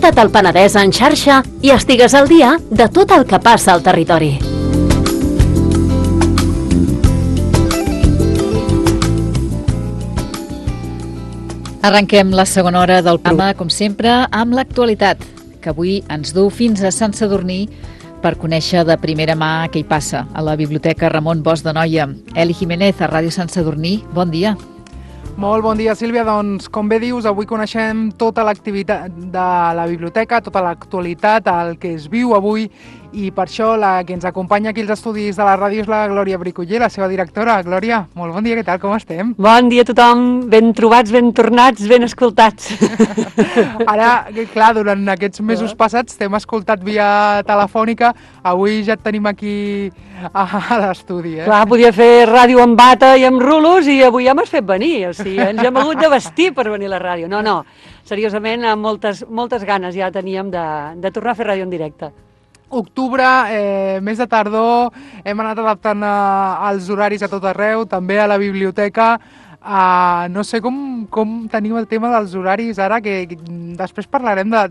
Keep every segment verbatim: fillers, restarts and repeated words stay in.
Connecta't al Penedès en xarxa i estigues al dia de tot el que passa al territori. Arrenquem la segona hora del programa, com sempre, amb l'actualitat, que avui ens du fins a Sant Sadurní per conèixer de primera mà què hi passa a la Biblioteca Ramon Bosch d'Anoia. Eli Jiménez, a Ràdio Sant Sadurní, bon dia. Molt bon dia, Sílvia. Doncs, com bé dius, avui coneixem tota l'activitat de la biblioteca, tota l'actualitat, el que es viu avui, i per això la que ens acompanya aquí als estudis de la ràdio és la Glòria Briculler, la seva directora. Glòria, molt bon dia, què tal, com estem? Bon dia a tothom, ben trobats, ben tornats, ben escoltats. Ara, clar, durant aquests mesos passats t'hem escoltat via telefònica, avui ja et tenim aquí a l'estudi, eh? Clar, podia fer ràdio amb bata i amb rulos i avui ja m'has fet venir, o sigui, ens hem hagut de vestir per venir a la ràdio. No, no, seriosament, amb moltes, moltes ganes ja teníem de, de tornar a fer ràdio en directe. Octubre, eh, mes de tardor, hem anat adaptant eh, els horaris a tot arreu, també a la biblioteca. Eh, no sé com, com teniu el tema dels horaris ara, que, que després parlarem de,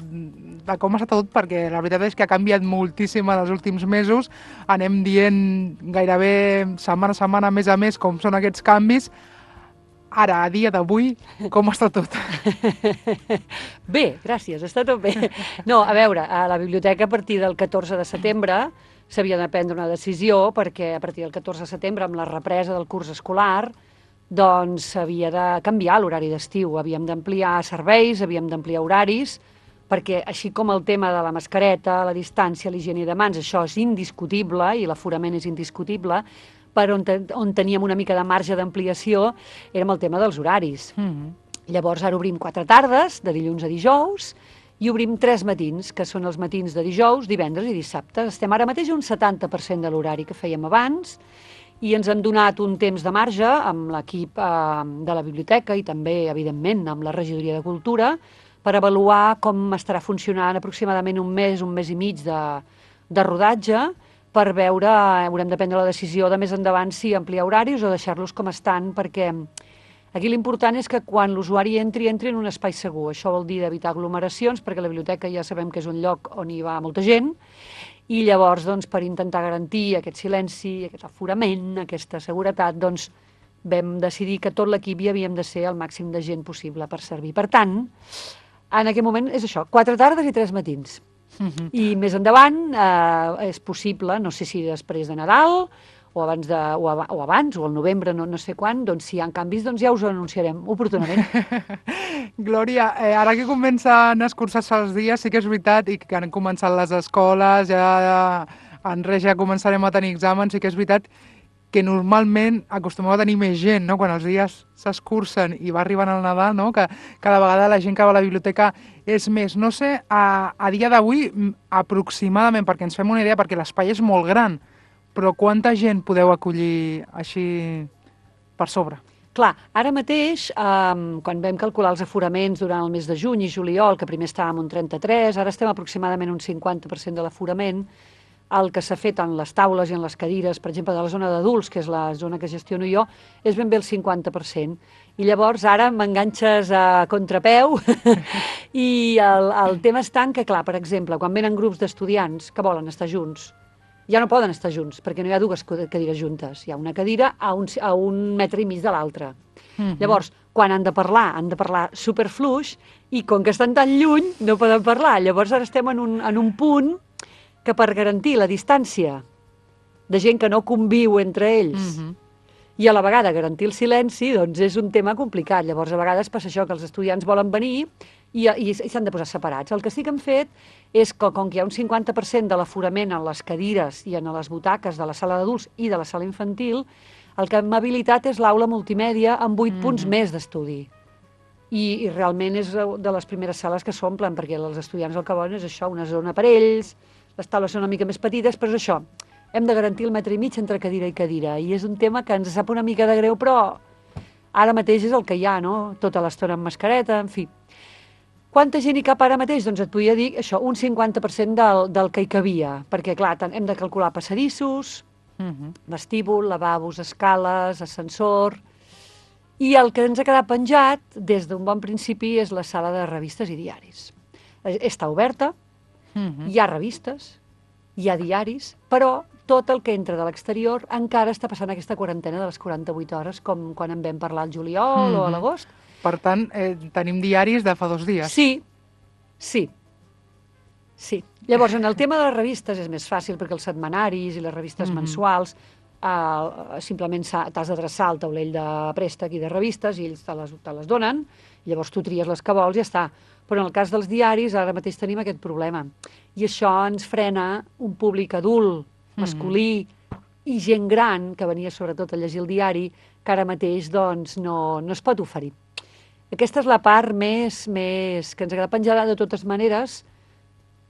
de com està tot, perquè la veritat és que ha canviat moltíssim en els últims mesos. Anem dient gairebé setmana a setmana, mes a mes, com són aquests canvis. Ara, a dia d'avui, com està tot? Bé, gràcies, està tot bé. No, a veure, a la biblioteca a partir del catorze de setembre s'havia de prendre una decisió, perquè a partir del catorze de setembre, amb la represa del curs escolar, doncs s'havia de canviar l'horari d'estiu. Havíem d'ampliar serveis, havíem d'ampliar horaris, perquè així com el tema de la mascareta, la distància, l'higiene de mans, això és indiscutible i l'aforament és indiscutible, per on, te, on teníem una mica de marge d'ampliació érem el tema dels horaris. Mm-hmm. Llavors ara obrim quatre tardes, de dilluns a dijous, i obrim tres matins, que són els matins de dijous, divendres i dissabte. Estem ara mateix a un setanta per cent de l'horari que fèiem abans, i ens han donat un temps de marge amb l'equip eh, de la biblioteca i també, evidentment, amb la regidoria de Cultura, per avaluar com estarà funcionant aproximadament un mes, un mes i mig de, de rodatge, per veure, haurem de prendre la decisió de més endavant si ampliar horaris o deixar-los com estan, perquè aquí l'important és que quan l'usuari entri, entri en un espai segur. Això vol dir d'evitar aglomeracions, perquè la biblioteca ja sabem que és un lloc on hi va molta gent, i llavors, doncs, per intentar garantir aquest silenci, aquest aforament, aquesta seguretat, doncs, vam decidir que tot l'equip hi havíem de ser el màxim de gent possible per servir. Per tant, en aquest moment és això, quatre tardes i tres matins. Uh-huh. I més endavant eh, és possible, no sé si després de Nadal o abans, de, o, ab o abans o al novembre, no, no sé quan, doncs si hi ha canvis doncs ja us ho anunciarem oportunament. Glòria, eh, ara que comencen a escurçar-se els dies, sí que és veritat, i que han començat les escoles, ja en res ja començarem a tenir exàmens, sí que és veritat que normalment acostumem a tenir més gent, no? Quan els dies s'escurcen i va arribant el Nadal, no? Que cada vegada la gent que va a la biblioteca és més. No sé, a, a dia d'avui, aproximadament, perquè ens fem una idea, perquè l'espai és molt gran, però quanta gent podeu acollir així per sobre? Clar, ara mateix, eh, quan vam calcular els aforaments durant el mes de juny i juliol, que primer estàvem un trenta-tres, ara estem aproximadament un cinquanta per cent de l'aforament. El que s'ha fet en les taules i en les cadires, per exemple, de la zona d'adults, que és la zona que gestiono jo, és ben bé el cinquanta per cent. I llavors ara m'enganxes a contrapeu i el, el tema és tant que, clar, per exemple, quan venen grups d'estudiants que volen estar junts, ja no poden estar junts, perquè no hi ha dues cadires juntes. Hi ha una cadira a un, a un metre i mig de l'altra. Mm-hmm. Llavors, quan han de parlar, han de parlar superfluix, i com que estan tan lluny, no poden parlar. Llavors ara estem en un, en un punt que per garantir la distància de gent que no conviu entre ells mm-hmm. i a la vegada garantir el silenci, doncs és un tema complicat. Llavors a vegades passa això, que els estudiants volen venir i, i, i s'han de posar separats. El que sí que hem fet és que, com que hi ha un cinquanta per cent de l'aforament en les cadires i en les butaques de la sala d'adults i de la sala infantil, el que hem habilitat és l'aula multimèdia amb vuit mm-hmm. punts més d'estudi. I, I realment és de les primeres sales que s'omplen, perquè els estudiants el que volen és això, una zona per ells. Les taules són una mica més petites, però és això. Hem de garantir el metre i mig entre cadira i cadira. I és un tema que ens sap una mica de greu, però ara mateix és el que hi ha, no? Tota l'estona amb mascareta, en fi. Quanta gent hi cap ara mateix? Doncs et podia dir això, un cinquanta per cent del, del que hi cabia. Perquè, clar, hem de calcular passadissos, uh-huh. vestíbul, lavabos, escales, ascensor. I el que ens ha quedat penjat, des d'un bon principi, és la sala de revistes i diaris. està oberta, Mhm. hi ha revistes, hi ha diaris, però tot el que entra de l'exterior encara està passant aquesta quarantena de les quaranta-vuit hores, com quan en vam parlar al juliol o a Mhm. l'agost. Per tant, eh, tenim diaris de fa dos dies. Sí, sí, sí. Llavors, en el tema de les revistes és més fàcil, perquè els setmanaris i les revistes Mhm. mensuals eh, simplement s'ha- t'has d'adreçar al taulell de préstec i de revistes i ells te les, te les donen, llavors tu tries les que vols i ja està. Però en el cas dels diaris ara mateix tenim aquest problema. I això ens frena un públic adult, masculí i gent gran, que venia sobretot a llegir el diari, que ara mateix doncs, no, no es pot oferir. Aquesta és la part més, més que ens agrada penjar. De totes maneres,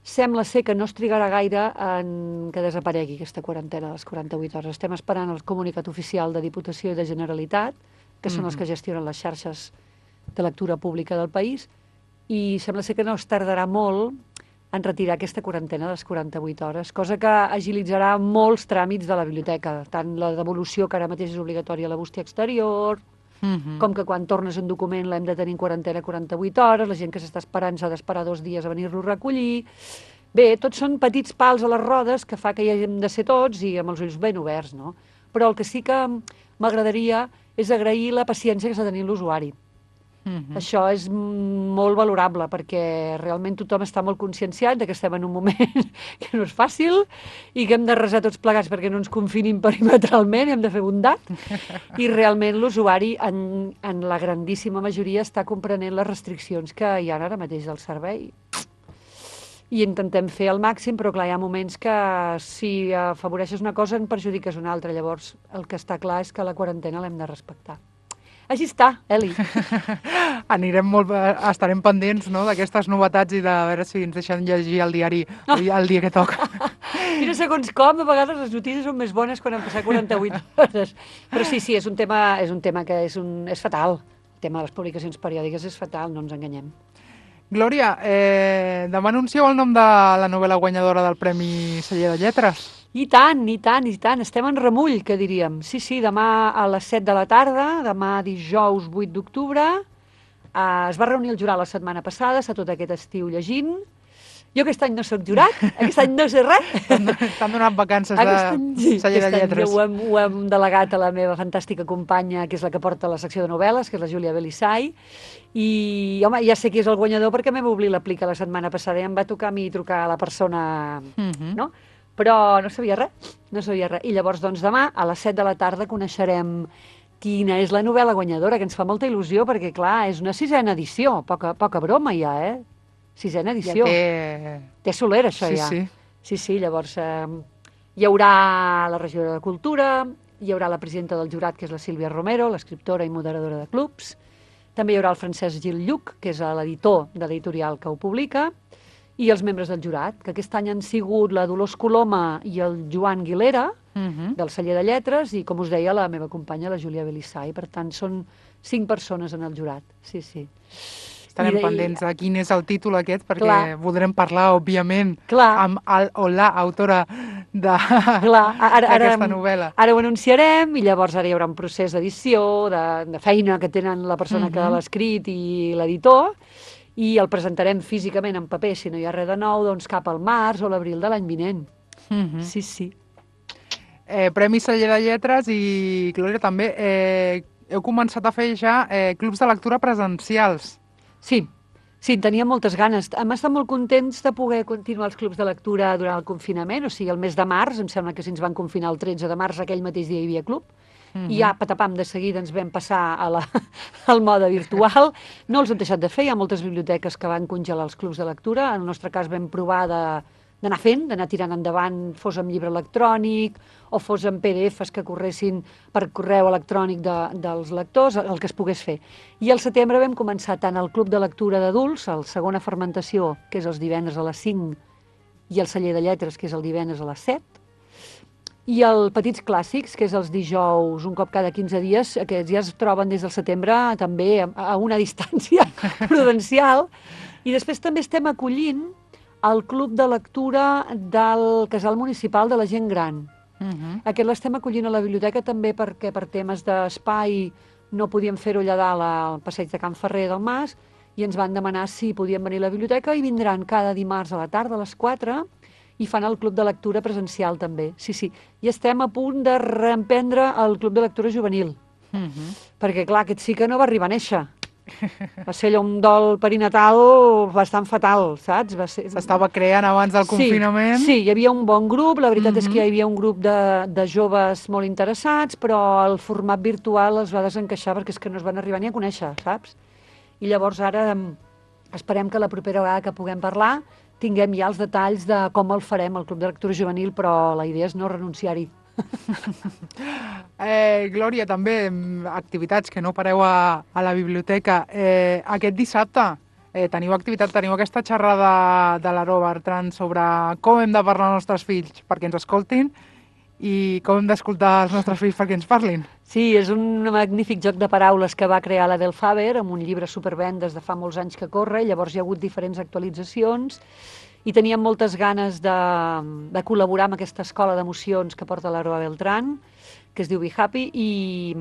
sembla ser que no es trigarà gaire en que desaparegui aquesta quarantena de les quaranta-vuit hores. Estem esperant el comunicat oficial de Diputació i de Generalitat, que són els que gestionen les xarxes de lectura pública del país, i sembla ser que no es tardarà molt en retirar aquesta quarantena de les quaranta-vuit hores, cosa que agilitzarà molts tràmits de la biblioteca, tant la devolució, que ara mateix és obligatòria a la bústia exterior, Mhm. com que quan tornes un document l'hem de tenir en quarantena quaranta-vuit hores, la gent que s'està esperant s'ha d'esperar dos dies a venir-lo a recollir. Bé, tots són petits pals a les rodes que fa que hi hàgim de ser tots i amb els ulls ben oberts, no? Però el que sí que m'agradaria és agrair la paciència que s'ha de tenir l'usuari. Mhm. Això és molt valorable, perquè realment tothom està molt conscienciat de que estem en un moment que no és fàcil i que hem de resar tots plegats perquè no ens confinin perimetralment, hem de fer bondat, i realment l'usuari en, en la grandíssima majoria està comprenent les restriccions que hi ha ara mateix del servei. I intentem fer el màxim, però clar, hi ha moments que si afavoreixes una cosa en perjudiques una altra. Llavors, el que està clar és que la quarantena l'hem de respectar. Així està, Eli. Anirem molt, estarem pendents, no?, d'aquestes novetats i de veure si ens deixen llegir el diari No. el dia que toca. Mira, segons com, a vegades les notícies són més bones quan han passat quaranta-vuit hores. Però sí, sí, és un tema, és un tema que és, un, és fatal. El tema de les publicacions periòdiques és fatal, no ens enganyem. Glòria, eh, demà anuncieu el nom de la novel·la guanyadora del Premi Celler de Lletres. I tant, i tant, i tant. Estem en remull, que diríem. Sí, sí, demà a les set de la tarda, demà dijous vuit d'octubre, eh, es va reunir el jurat la setmana passada, està tot aquest estiu llegint. Jo aquest any no sóc jurat, aquest any no sé res. T'han donat vacances Aquest any, de sí, Celler de aquest any Lletres. ho hem, ho hem delegat a la meva fantàstica companya, que és la que porta la secció de novel·les, que és la Júlia Belisai, i, home, ja sé qui és el guanyador perquè m'he oblit l'aplica la setmana passada i em va tocar a mi trucar a la persona, Mhm. no? Però no sabia res, no sabia res. I llavors, doncs, demà, a les set de la tarda, coneixerem quina és la novel·la guanyadora, que ens fa molta il·lusió, perquè, clar, és una sisena edició, poca, poca broma ja, eh? Sisena Ja edició. té... Té solera, això, Sí, ja. sí. Sí, sí, llavors eh, hi haurà la regidora de Cultura, hi haurà la presidenta del jurat, que és la Sílvia Romero, l'escriptora i moderadora de clubs, també hi haurà el Francesc Gil Lluc, que és l'editor de l'editorial que ho publica, i els membres del jurat, que aquest any han sigut la Dolors Coloma i el Joan Guilera, Mhm. del Celler de Lletres, i, com us deia, la meva companya, la Júlia Belisai. Per tant, són cinc persones en el jurat. Sí, sí. Estarem I- pendents de quin és el títol aquest, perquè Clar. voldrem parlar, òbviament, Clar. amb el o la autora de- Clar, ara, ara, d'aquesta novel·la. ara ho anunciarem i llavors ara hi haurà un procés d'edició, de, de feina que tenen la persona que Mhm. l'ha escrit i l'editor, i el presentarem físicament en paper, si no hi ha res de nou, doncs cap al març o l'abril de l'any vinent. Mhm. Sí, sí. Eh, Premi Celler de Lletres i, Glòria, també eh, heu començat a fer ja eh, clubs de lectura presencials. Sí, sí, en tenia moltes ganes. Hem estat molt contents de poder continuar els clubs de lectura durant el confinament, o sigui, el mes de març, em sembla que si ens van confinar el tretze de març, aquell mateix dia hi havia club, Mhm. i ja, patapam, de seguida ens vam passar a la, al mode virtual. No els hem deixat de fer, hi ha moltes biblioteques que van congelar els clubs de lectura. En el nostre cas vam provar de d'anar fent, d'anar tirant endavant, fos amb llibre electrònic o fos amb P D Efes que corressin per correu electrònic de, dels lectors, el que es pogués fer. I al setembre vam començar tant el Club de Lectura d'Adults, el Segona Fermentació, que és els divendres a les cinc, i el Celler de Lletres, que és el divendres a les set, i el Petits Clàssics, que és els dijous, un cop cada quinze dies, aquests ja es troben des del setembre també a, a una distància prudencial. I després també estem acollint el Club de Lectura del Casal Municipal de la Gent Gran. Mhm. Aquest l'estem acollint a la biblioteca també perquè per temes d'espai no podíem fer-ho allà dalt al passeig de Can Ferrer del Mas, i ens van demanar si podien venir a la biblioteca i vindran cada dimarts a la tarda a les quatre i fan el club de lectura presencial també. Sí, sí. I estem a punt de reemprendre el club de lectura juvenil. Uh -huh. Perquè, clar, aquest sí que no va arribar a néixer. Va ser allò un dol perinatal bastant fatal, saps? S'estava creant abans del confinament. Sí, sí, hi havia un bon grup, la veritat uh -huh. és que hi havia un grup de, de joves molt interessats, però el format virtual els va desencaixar perquè és que no es van arribar ni a conèixer, saps? I llavors ara esperem que la propera vegada que puguem parlar tinguem ja els detalls de com el farem, el Club de Lectura Juvenil, però la idea és no renunciar-hi. eh, Glòria, també activitats que no pareu a, a la biblioteca. Eh, aquest dissabte eh, teniu activitat, teniu aquesta xerrada de l'Aroa Bertran sobre com hem de parlar als nostres fills perquè ens escoltin i com hem d'escoltar els nostres fills perquè ens parlin. Sí, és un magnífic joc de paraules que va crear l'Adel Faber amb un llibre supervendes de fa molts anys que corre, i llavors hi ha hagut diferents actualitzacions i teníem moltes ganes de, de col·laborar amb aquesta escola d'emocions que porta l'Aroa Bertran, que es diu Be Happy, i,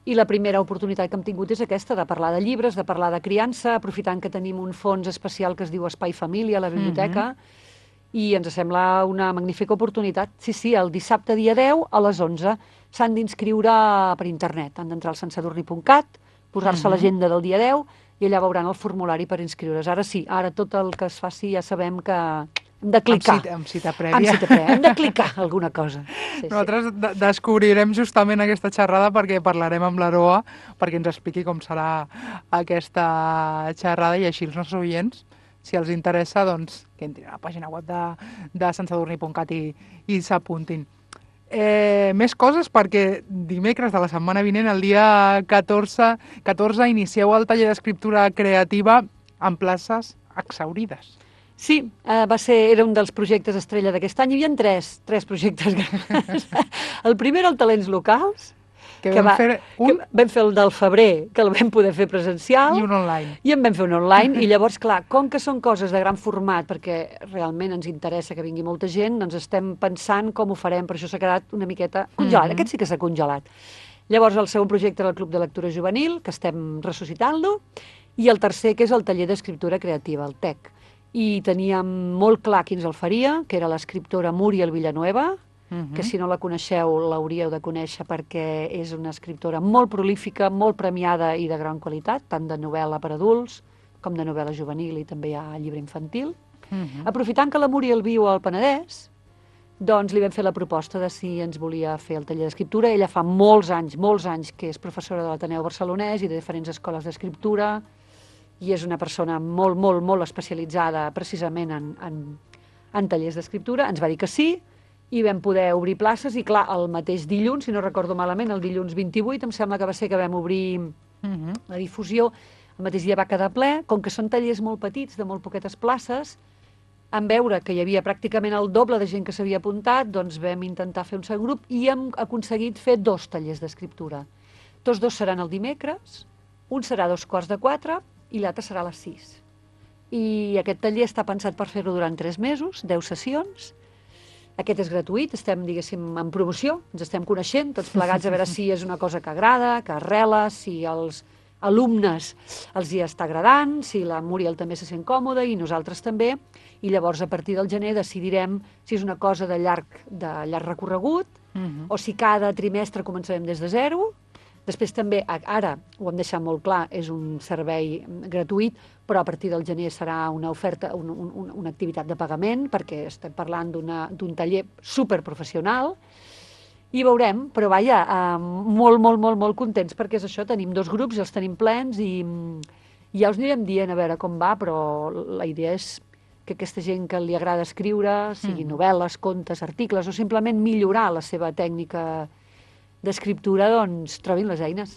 i la primera oportunitat que hem tingut és aquesta, de parlar de llibres, de parlar de criança, aprofitant que tenim un fons especial que es diu Espai Família a la biblioteca, mm-hmm. i ens sembla una magnífica oportunitat. Sí, sí, el dissabte dia deu a les onze s'han d'inscriure per internet, han d'entrar al sansadurni punt cat, posar-se mm-hmm. a l'agenda del dia deu, i allà veuran el formulari per inscriure's. Ara sí, ara tot el que es faci ja sabem que hem de clicar. Amb cita, amb cita prèvia. Amb cita prèvia, hem de clicar alguna cosa. Sí, Nosaltres sí. de descobrirem justament aquesta xerrada perquè parlarem amb l'Aroa, perquè ens expliqui com serà aquesta xerrada, i així els nostres oients, si els interessa, doncs que entrin a la pàgina web de, de sansadurni punt cat i, i s'apuntin. Eh, més coses, perquè dimecres de la setmana vinent, el dia catorze, catorze iniciem el taller d'escriptura creativa amb places exhaurides. Sí, eh, va ser, era un dels projectes estrella d'aquest any. Hi havia tres, tres projectes grans. El primer era el Talents Locals, que, que, vam va, fer un... que vam fer el del febrer, que el vam poder fer presencial. I un online. I en vam fer un online, i llavors, clar, com que són coses de gran format, perquè realment ens interessa que vingui molta gent, doncs estem pensant com ho farem, per això s'ha quedat una miqueta congelat. Mm-hmm. Aquest sí que s'ha congelat. Llavors, el segon projecte era el Club de Lectura Juvenil, que estem ressuscitant-lo, i el tercer, que és el taller d'escriptura creativa, el T E C. I teníem molt clar qui ens el faria, que era l'escriptora Muriel Villanueva, uh-huh. que si no la coneixeu l'hauríeu de conèixer perquè és una escriptora molt prolífica, molt premiada i de gran qualitat, tant de novel·la per adults com de novel·la juvenil, i també hi ha llibre infantil. Uh-huh. Aprofitant que la Muriel viu al Penedès, doncs li vam fer la proposta de si ens volia fer el taller d'escriptura. Ella fa molts anys, molts anys que és professora de l'Ateneu Barcelonès i de diferents escoles d'escriptura, i és una persona molt, molt, molt especialitzada precisament en, en, en tallers d'escriptura. Ens va dir que sí, i vam poder obrir places, i clar, el mateix dilluns, si no recordo malament, el dilluns vint-i-vuit, em sembla que va ser que vam obrir uh-huh. la difusió, el mateix dia va quedar ple. Com que són tallers molt petits, de molt poquetes places, en veure que hi havia pràcticament el doble de gent que s'havia apuntat, doncs vam intentar fer un segon grup i hem aconseguit fer dos tallers d'escriptura. Tots dos seran el dimecres, un serà a dos quarts de quatre i l'altre serà a les sis. I aquest taller està pensat per fer-ho durant tres mesos, deu sessions. Aquest és gratuït, estem, diguéssim, en promoció, ens estem coneixent, tots plegats, a veure si és una cosa que agrada, que arrela, si els alumnes els hi està agradant, si la Muriel també se sent còmoda i nosaltres també, i llavors a partir del gener decidirem si és una cosa de llarg, de llarg recorregut, uh-huh. o si cada trimestre començarem des de zero. Després també, ara ho hem deixat molt clar, és un servei gratuït, però a partir del gener serà una oferta, un, un, una activitat de pagament, perquè estem parlant d'un taller superprofessional, i veurem, però vaja, eh, molt, molt, molt, molt contents, perquè és això, tenim dos grups, els tenim plens, i, i ja us anirem dient a veure com va, però la idea és que aquesta gent que li agrada escriure, sigui novel·les, contes, articles, o simplement millorar la seva tècnica d'escriptura, doncs trobin les eines.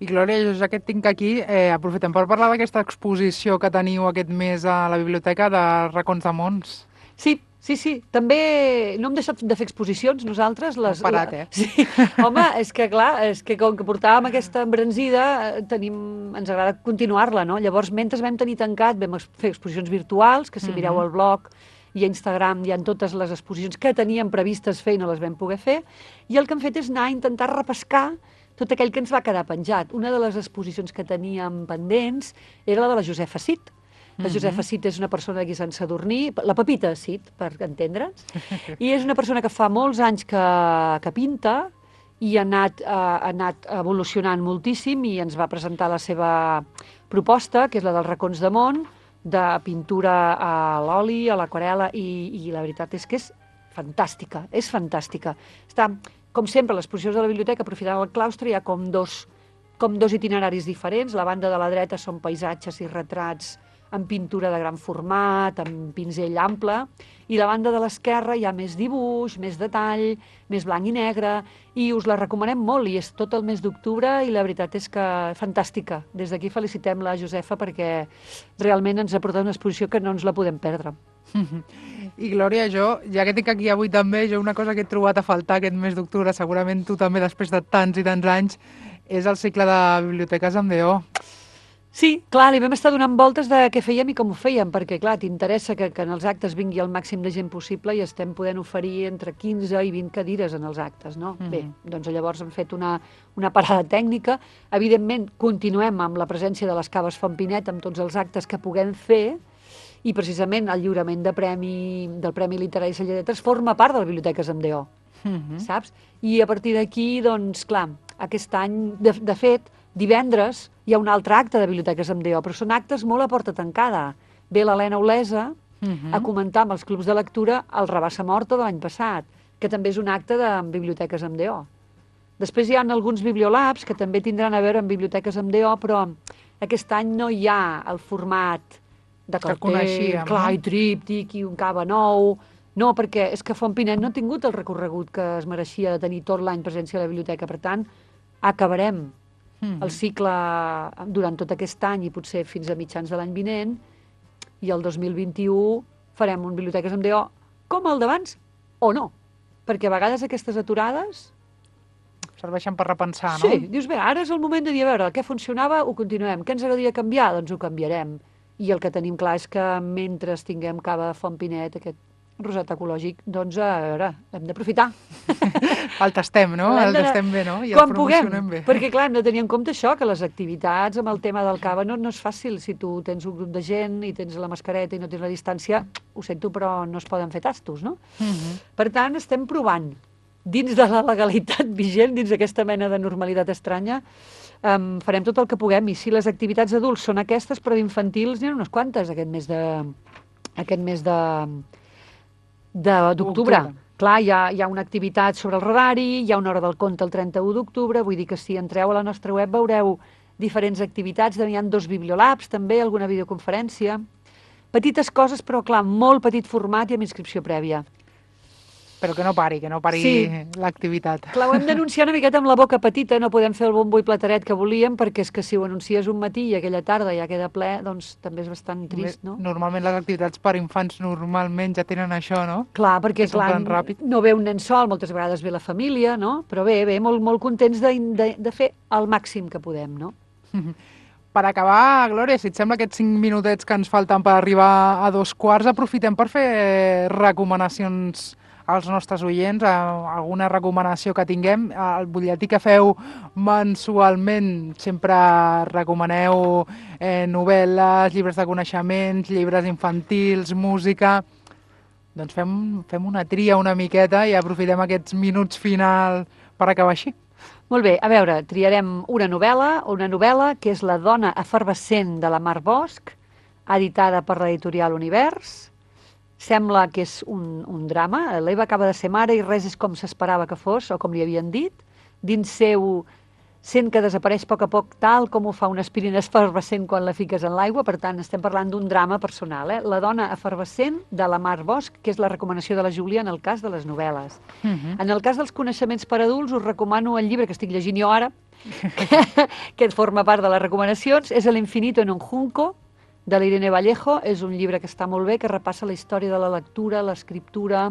I Glòria, ja que et tinc aquí, eh, aprofitem per parlar d'aquesta exposició que teniu aquest mes a la biblioteca de Racons de Mons. Sí, sí, sí. També no hem deixat de fer exposicions, nosaltres. Les, no parat, eh? La... Sí. Home, és que clar, és que com que portàvem aquesta embranzida, tenim, ens agrada continuar-la, no? Llavors, mentre vam tenir tancat, vam fer exposicions virtuals, que si mireu mm-hmm. el blog i a Instagram hi ha totes les exposicions que teníem previstes fer i no les vam poder fer, i el que hem fet és anar a intentar repescar tot aquell que ens va quedar penjat. Una de les exposicions que teníem pendents era la de la Josefa Cid. La Josefa Cid és una persona d'aquí Sant Sadurní, la Pepita Cid, per entendre'ns, i és una persona que fa molts anys que, que pinta i ha anat, uh, ha anat evolucionant moltíssim i ens va presentar la seva proposta, que és la dels racons de món, de pintura a l'oli, a l'aquarela, i, i la veritat és que és fantàstica, és fantàstica. Està, com sempre, a les exposicions de la biblioteca, aprofitant el claustre, hi ha com dos, com dos itineraris diferents. La banda de la dreta són paisatges i retrats amb pintura de gran format, amb pinzell ample, i la banda de l'esquerra hi ha més dibuix, més detall, més blanc i negre, i us la recomanem molt, i és tot el mes d'octubre, i la veritat és que fantàstica. Des d'aquí felicitem la Josefa perquè realment ens ha portat una exposició que no ens la podem perdre. I Glòria, jo, ja que tinc aquí avui també, jo una cosa que he trobat a faltar aquest mes d'octubre, segurament tu també després de tants i tants anys, és el cicle de biblioteques amb D O. Sí, clar, li vam estar donant voltes de què fèiem i com ho fèiem, perquè, clar, t'interessa que, que en els actes vingui el màxim de gent possible i estem podent oferir entre quinze i vint cadires en els actes, no? Mm-hmm. Bé, doncs llavors hem fet una, una parada tècnica. Evidentment, continuem amb la presència de les caves Font Pinet amb tots els actes que puguem fer, i precisament el lliurament de premi, del Premi Literari Cella de Lletres forma part de les biblioteques amb D O, mm-hmm. saps? I a partir d'aquí, doncs, clar, aquest any, de, de fet, divendres hi ha un altre acte de biblioteques amb D O, però són actes molt a porta tancada. Ve l'Helena Olesa uh-huh. a comentar amb els clubs de lectura el Rabassa Morta de l'any passat, que també és un acte de biblioteques amb D O. Després hi ha alguns bibliolabs que també tindran a veure amb biblioteques amb D O, però aquest any no hi ha el format de cartell, clar, i tríptic i un cava nou. No, perquè és que Font Pinet no ha tingut el recorregut que es mereixia de tenir tot l'any presència a la biblioteca. Per tant, acabarem Mm-hmm. el cicle durant tot aquest any i potser fins a mitjans de l'any vinent, i el dos mil vint-i-u farem un biblioteques amb D O com el d'abans o no, perquè a vegades aquestes aturades serveixen per repensar, no? Sí, dius, bé, ara és el moment de dir, a veure, què funcionava, ho continuem, què ens agradaria canviar, doncs ho canviarem, i el que tenim clar és que mentre tinguem cava Font Pinet, aquest rosat ecològic, doncs, a veure, hem d'aprofitar. El tastem, no? El tastem bé, no? I el promocionem puguem, bé. Perquè, clar, no tenia en compte això, que les activitats amb el tema del cava no, no és fàcil. Si tu tens un grup de gent i tens la mascareta i no tens la distància, ho sento, però no es poden fer tastos, no? Uh-huh. Per tant, estem provant, dins de la legalitat vigent, dins d'aquesta mena de normalitat estranya, um, farem tot el que puguem. I si les activitats adults són aquestes, però d'infantils n'hi ha unes quantes aquest mes de... aquest mes de... d'octubre. Clar, hi ha, hi ha una activitat sobre el rodari, hi ha una hora del conte el trenta-u d'octubre, vull dir que si entreu a la nostra web veureu diferents activitats, hi ha dos bibliolabs també, alguna videoconferència, petites coses, però clar, molt petit format i amb inscripció prèvia. Però que no pari, que no pari sí. l'activitat. Clar, ho hem d'anunciar una miqueta amb la boca petita, no podem fer el bombo i plateret que volíem, perquè és que si ho anuncies un matí i aquella tarda ja queda ple, doncs també és bastant trist, no? Normalment les activitats per infants normalment ja tenen això, no? Clar, perquè clar, no ve un nen sol, moltes vegades ve la família, no? Però bé, bé, molt, molt contents de, de, de fer el màxim que podem, no? Per acabar, Glòria, si et sembla aquests cinc minutets que ens falten per arribar a dos quarts, aprofitem per fer recomanacions als nostres oients, alguna recomanació que tinguem. El butlletí que feu mensualment sempre recomaneu eh, novel·les, llibres de coneixements, llibres infantils, música. Doncs fem, fem una tria una miqueta i aprofitem aquests minuts final per acabar així. Molt bé, a veure, triarem una novel·la, una novel·la que és La dona efervescent de la Mar Bosch, editada per l'editorial Univers. Sembla que és un, un drama. L'Eva acaba de ser mare i res és com s'esperava que fos, o com li havien dit. Dins seu sent que desapareix a poc a poc tal com ho fa una aspirina efervescent quan la fiques en l'aigua. Per tant, estem parlant d'un drama personal. Eh? La dona efervescent de la Mar Bosch, que és la recomanació de la Júlia en el cas de les novel·les. Uh-huh. En el cas dels coneixements per adults, us recomano el llibre que estic llegint jo ara, que, que forma part de les recomanacions, és El infinito en un junco, de l'Irene Vallejo. És un llibre que està molt bé, que repassa la història de la lectura, l'escriptura,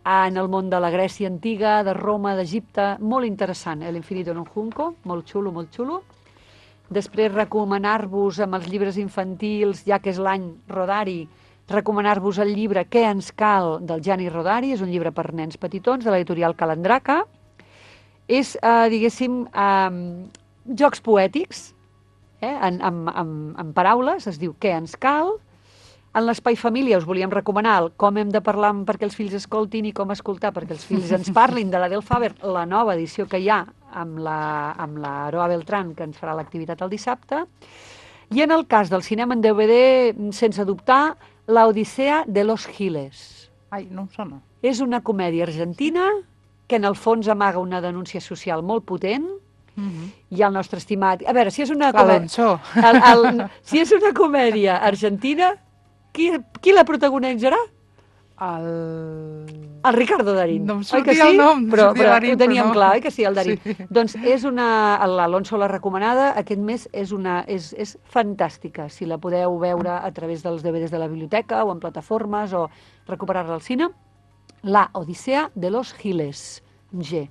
en el món de la Grècia antiga, de Roma, d'Egipte, molt interessant, El infinito en un junco, molt xulo, molt xulo. Després recomanar-vos amb els llibres infantils, ja que és l'any Rodari, recomanar-vos el llibre Què ens cal, del Gianni Rodari, és un llibre per nens petitons, de l'editorial Calandraca. és, eh, diguéssim, eh, jocs poètics, eh, en, en, en, en paraules, es diu Què ens cal. En l'Espai Família us volíem recomanar el com hem de parlar perquè els fills escoltin i com escoltar perquè els fills ens parlin, de l'Adel Faber, la nova edició que hi ha amb la, amb la Aroa Beltrán, que ens farà l'activitat el dissabte. I en el cas del cinema en D V D, sense dubtar, La Odissea de los Giles. Ai, no em sona. És una comèdia argentina que en el fons amaga una denúncia social molt potent. Uh-huh. I el nostre estimat... A veure, si és una comèdia... El, el, si és una comèdia argentina, qui, qui la protagonitzarà? El... El Ricardo Darín. No em sortia sí? el nom. Però, sortia però Darín, ho teníem però no. clar, oi que sí, el Darín. Sí. Doncs és una... L'Alonso l'ha recomanada, aquest mes és, una, és, és fantàstica. Si la podeu veure a través dels D V Ds de la biblioteca o en plataformes o recuperar-la al cine, La Odissea de los Giles, amb G.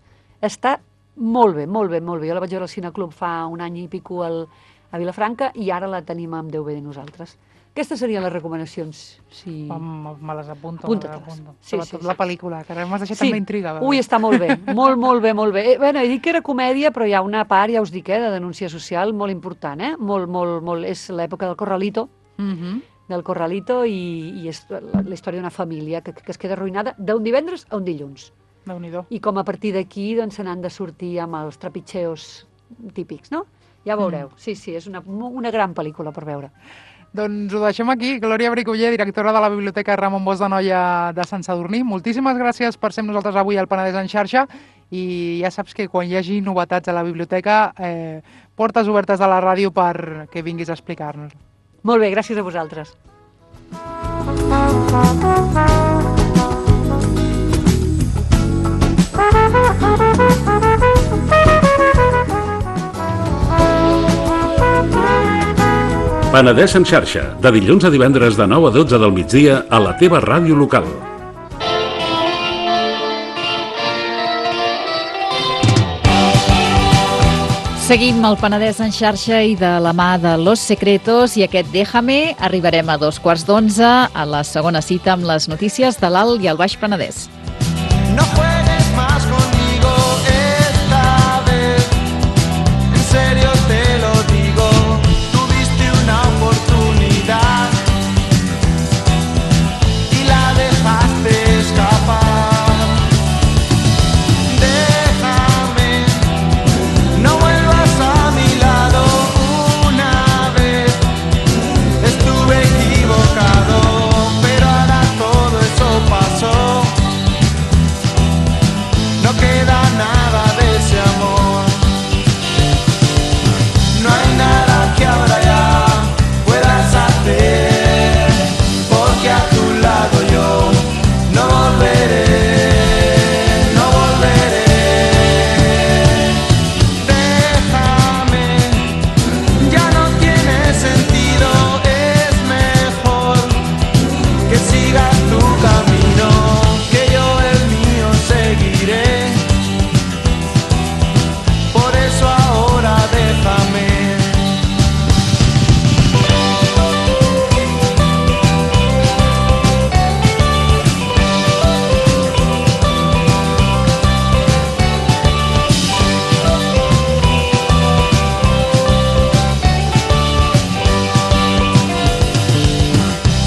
Està molt bé, molt bé, molt bé. Jo la vaig veure al Cineclub fa un any i pico al, a Vilafranca i ara la tenim amb D V D nosaltres. Aquestes serien les recomanacions. Si... Me, me les apunto. Apunta-te-les. Sí, Sobretot sí, sí. la pel·lícula, que ara m'has deixat sí. amb la intriga. Ui, està molt bé, molt, molt bé, molt bé. Eh, bueno, he dit que era comèdia, però hi ha una part, ja us dic, eh, de denúncia social molt important, eh? Molt, molt, molt... És l'època del Corralito, Uh-huh. del Corralito, i, i és la, la història d'una família que, que es queda arruïnada d'un divendres a un dilluns. Déu-n'hi-do. I com a partir d'aquí doncs, se n'han de sortir amb els trepitxeos típics, no? Ja veureu. Mm. Sí, sí, és una, una gran pel·lícula per veure. Doncs ho deixem aquí. Glòria Bricoller, directora de la Biblioteca Ramon Bosch de Noia de Sant Sadurní. Moltíssimes gràcies per ser amb nosaltres avui al Penedès en xarxa i ja saps que quan hi hagi novetats a la biblioteca, eh, portes obertes de la ràdio per que vinguis a explicar-nos. Molt bé, gràcies a vosaltres. Penedès en xarxa, de dilluns a divendres de nou a dotze del migdia a la teva ràdio local. Seguim el Penedès en xarxa i de la mà de Los Secretos i aquest Déjame arribarem a dos quarts d'onze a la segona cita amb les notícies de l'Alt i el Baix Penedès. No juegues más conmigo esta vez, en serio te lo digo, tuviste una oportunidad y la dejaste escapar. Déjame, no vuelvas a mi lado una vez, estuve equivocado, pero ahora todo eso pasó. No queda nada de ese amor. No hay nada que ahora ya puedas hacer, porque a tu lado yo no volveré, no volveré. Déjame, ya no tiene sentido, es mejor que sigas tu camino, que yo el mío seguiré. Por eso ahora déjame.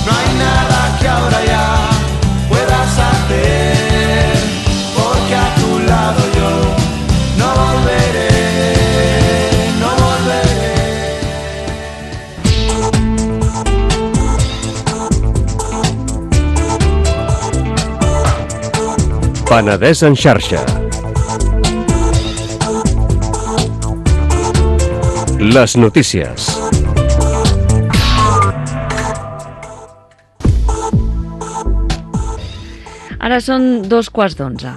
No hay nada que ahora ya puedas hacer, porque a tu lado yo no volveré, no volveré. Penedès en xarxa. Les notícies. Ara són dos quarts d'onze.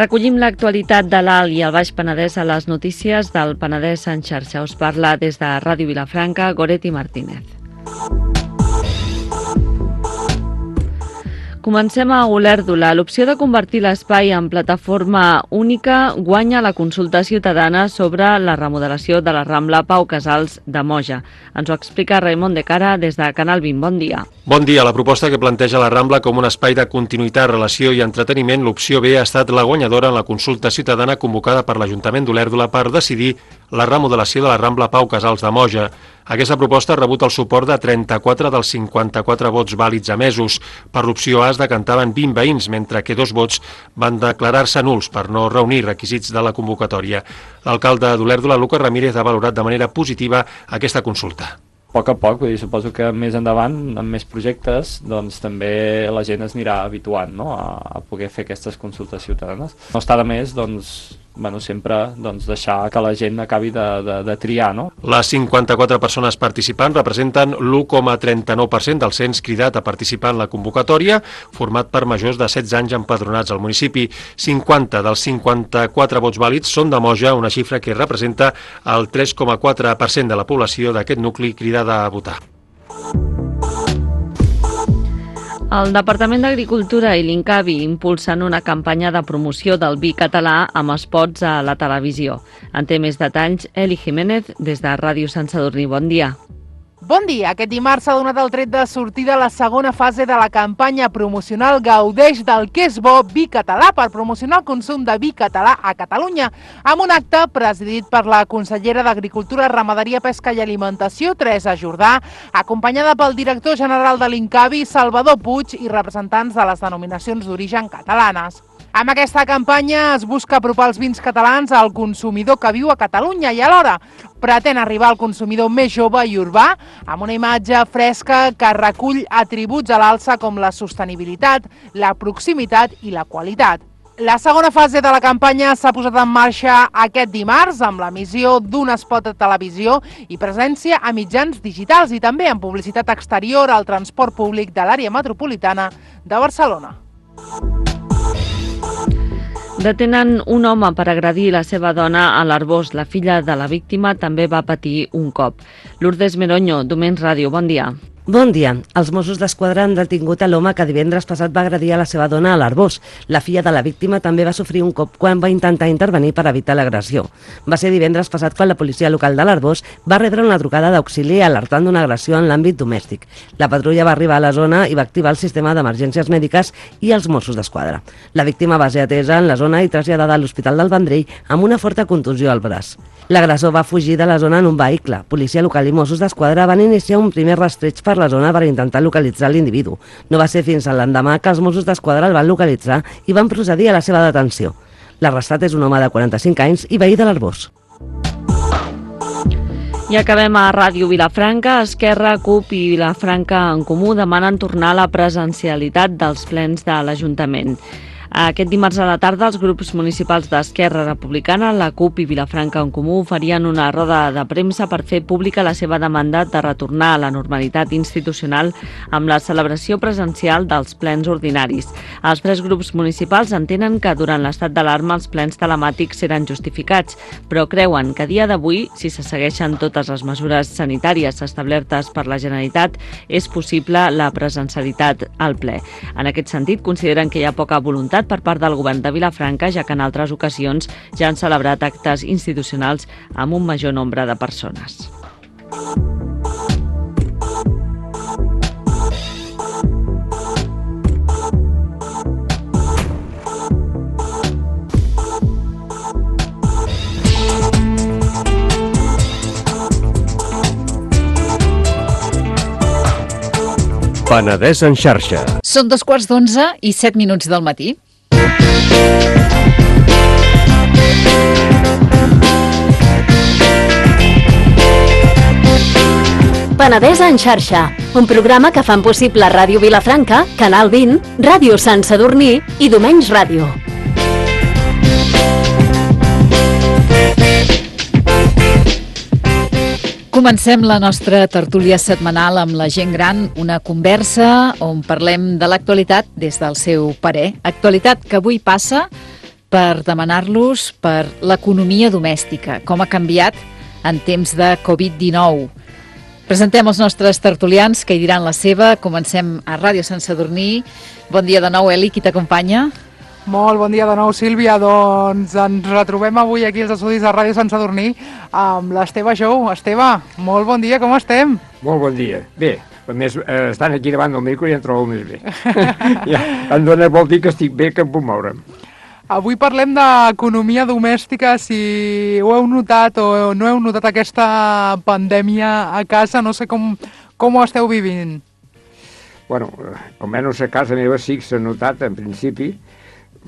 Recollim l'actualitat de l'Alt i el Baix Penedès a les notícies del Penedès en xarxa. Us parla des de Ràdio Vilafranca, Goretti Martínez. Comencem a Olèrdola. L'opció de convertir l'espai en plataforma única guanya la consulta ciutadana sobre la remodelació de la Rambla Pau Casals de Moja. Ens ho explica Raimon de Cara des de Canal vint. Bon dia. Bon dia. La proposta que planteja la Rambla com un espai de continuïtat, relació i entreteniment, l'opció B ha estat la guanyadora en la consulta ciutadana convocada per l'Ajuntament d'Olèrdola per decidir la remodelació de la Rambla Pau Casals de Moja. Aquesta proposta ha rebut el suport de trenta-quatre dels cinquanta-quatre vots vàlids emesos. Per l'opció A es decantaven vint veïns, mentre que dos vots van declarar-se nuls per no reunir requisits de la convocatòria. L'alcalde d'Olèrdola, Lucas Ramírez, ha valorat de manera positiva aquesta consulta. A poc a poc, vull dir, suposo que més endavant, amb més projectes, doncs també la gent es anirà habituant, no?, a, a poder fer aquestes consultes ciutadanes. No està de més, doncs, bueno, sempre doncs, deixar que la gent acabi de, de, de triar, no? Les cinquanta-quatre persones participants representen l'u coma trenta-nou per cent del cens cridat a participar en la convocatòria, format per majors de setze anys empadronats al municipi. cinquanta dels cinquanta-quatre vots vàlids són de Moja, una xifra que representa el tres coma quatre per cent de la població d'aquest nucli cridada a votar. El Departament d'Agricultura i l'Incavi impulsen una campanya de promoció del vi català amb spots a la televisió. En té més detalls Eli Jiménez des de Ràdio Sant Sadurní. Bon dia. Bon dia. Aquest dimarts s'ha donat el tret de sortida a la segona fase de la campanya promocional Gaudeix del que és bo vi català per promocionar el consum de vi català a Catalunya, amb un acte presidit per la consellera d'Agricultura, Ramaderia, Pesca i Alimentació, Teresa Jordà, acompanyada pel director general de l'Incavi, Salvador Puig, i representants de les denominacions d'origen catalanes. Amb aquesta campanya es busca apropar els vins catalans al consumidor que viu a Catalunya i alhora pretén arribar al consumidor més jove i urbà amb una imatge fresca que recull atributs a l'alça com la sostenibilitat, la proximitat i la qualitat. La segona fase de la campanya s'ha posat en marxa aquest dimarts amb l'emissió d'un espot de televisió i presència a mitjans digitals i també en publicitat exterior al transport públic de l'àrea metropolitana de Barcelona. Detenen un home per agredir la seva dona a l'Arboç. La filla de la víctima també va patir un cop. Lourdes Meroño, Domens Ràdio, bon dia. Bon dia. Els Mossos d'Esquadra han detingut a l'home que divendres passat va agredir a la seva dona a l'Arboç. La filla de la víctima també va sofrir un cop quan va intentar intervenir per evitar l'agressió. Va ser divendres passat quan la policia local de l'Arboç va rebre una trucada d'auxili alertant d'una agressió en l'àmbit domèstic. La patrulla va arribar a la zona i va activar el sistema d'emergències mèdiques i els Mossos d'Esquadra. La víctima va ser atesa en la zona i traslladada a l'Hospital del Vendrell amb una forta contusió al braç. L'agressor va fugir de la zona en un vehicle. Policia local i Mossos d'Esquadra van iniciar un primer rastreig per la zona per intentar localitzar l'individu. No va ser fins a l'endemà que els Mossos d'Esquadra el van localitzar i van procedir a la seva detenció. L'arrestat és un home de quaranta-cinc anys i veí de l'Arboç. I acabem a Ràdio Vilafranca. Esquerra, CUP i Vilafranca en Comú demanen tornar a la presencialitat dels plens de l'Ajuntament. Aquest dimarts a la tarda, els grups municipals d'Esquerra Republicana, la CUP i Vilafranca en Comú oferien una roda de premsa per fer pública la seva demanda de retornar a la normalitat institucional amb la celebració presencial dels plens ordinaris. Els tres grups municipals entenen que durant l'estat d'alarma els plens telemàtics seran justificats, però creuen que a dia d'avui, si se segueixen totes les mesures sanitàries establertes per la Generalitat, és possible la presencialitat al ple. En aquest sentit, consideren que hi ha poca voluntat per part del govern de Vilafranca, ja que en altres ocasions ja han celebrat actes institucionals amb un major nombre de persones. Penedès en xarxa. Són dos quarts d'onze i set minuts del matí. Penedès en xarxa, un programa que fan possible Ràdio Vilafranca, Canal vint, Ràdio Sant Sadurní i Domenys Ràdio. Comencem la nostra tertúlia setmanal amb la gent gran, una conversa on parlem de l'actualitat des del seu parer. Actualitat que avui passa per demanar-los per l'economia domèstica, com ha canviat en temps de covid dinou. Presentem els nostres tertulians que hi diran la seva. Comencem a Ràdio Sant Sadurní. Bon dia de nou, Eli, qui t'acompanya? Molt bon dia de nou, Sílvia. Doncs ens retrobem avui aquí als estudis de Ràdio Sant Sadurní amb l'Esteve Jou. Esteve, molt bon dia, com estem? Molt bon dia. Bé, a més, eh, estant aquí davant del micro ja em trobo més bé. Ja, em dona, vol dir que estic bé, que em puc moure'm. Avui parlem d'economia domèstica, si ho heu notat o no heu notat aquesta pandèmia a casa, no sé com, com ho esteu vivint. Bueno, almenys a casa meva sí que s'ha notat, en principi,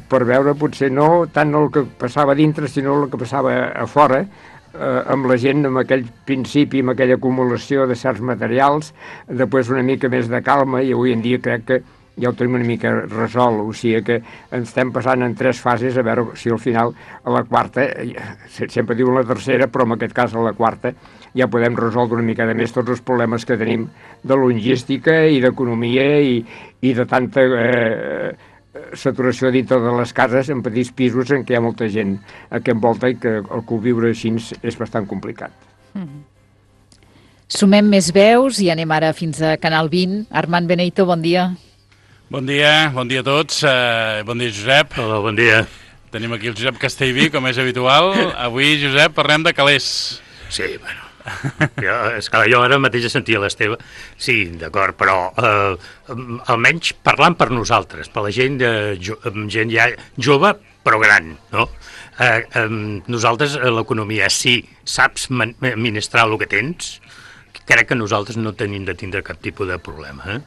per veure potser no tant el que passava dintre, sinó el que passava a fora, eh, amb la gent, amb aquell principi, amb aquella acumulació de certs materials, després una mica més de calma, i avui en dia crec que ja ho tenim una mica resolt, o sigui que ens estem passant en tres fases, a veure si al final a la quarta, sempre diuen la tercera, però en aquest cas a la quarta ja podem resoldre una mica de més tots els problemes que tenim de logística i d'economia i, i de tanta eh, saturació dintre de les cases en petits pisos en què hi ha molta gent que envolta i que el conviure així és bastant complicat. Mm-hmm. Sumem més veus i anem ara fins a Canal vint. Armand Beneito, bon dia. Bon dia, bon dia a tots. Uh, bon dia, Josep. Hola, bon dia. Tenim aquí el Josep Castellví, com és habitual. Avui, Josep, parlem de calés. Sí, bueno, jo, esclar, jo ara mateix sentia l'Esteve. Sí, d'acord, però eh, almenys parlant per nosaltres, per la gent, de, jo, gent ja jove, però gran, no? Eh, eh, nosaltres, l'economia, si saps administrar el que tens, crec que nosaltres no tenim de tindre cap tipus de problema, eh?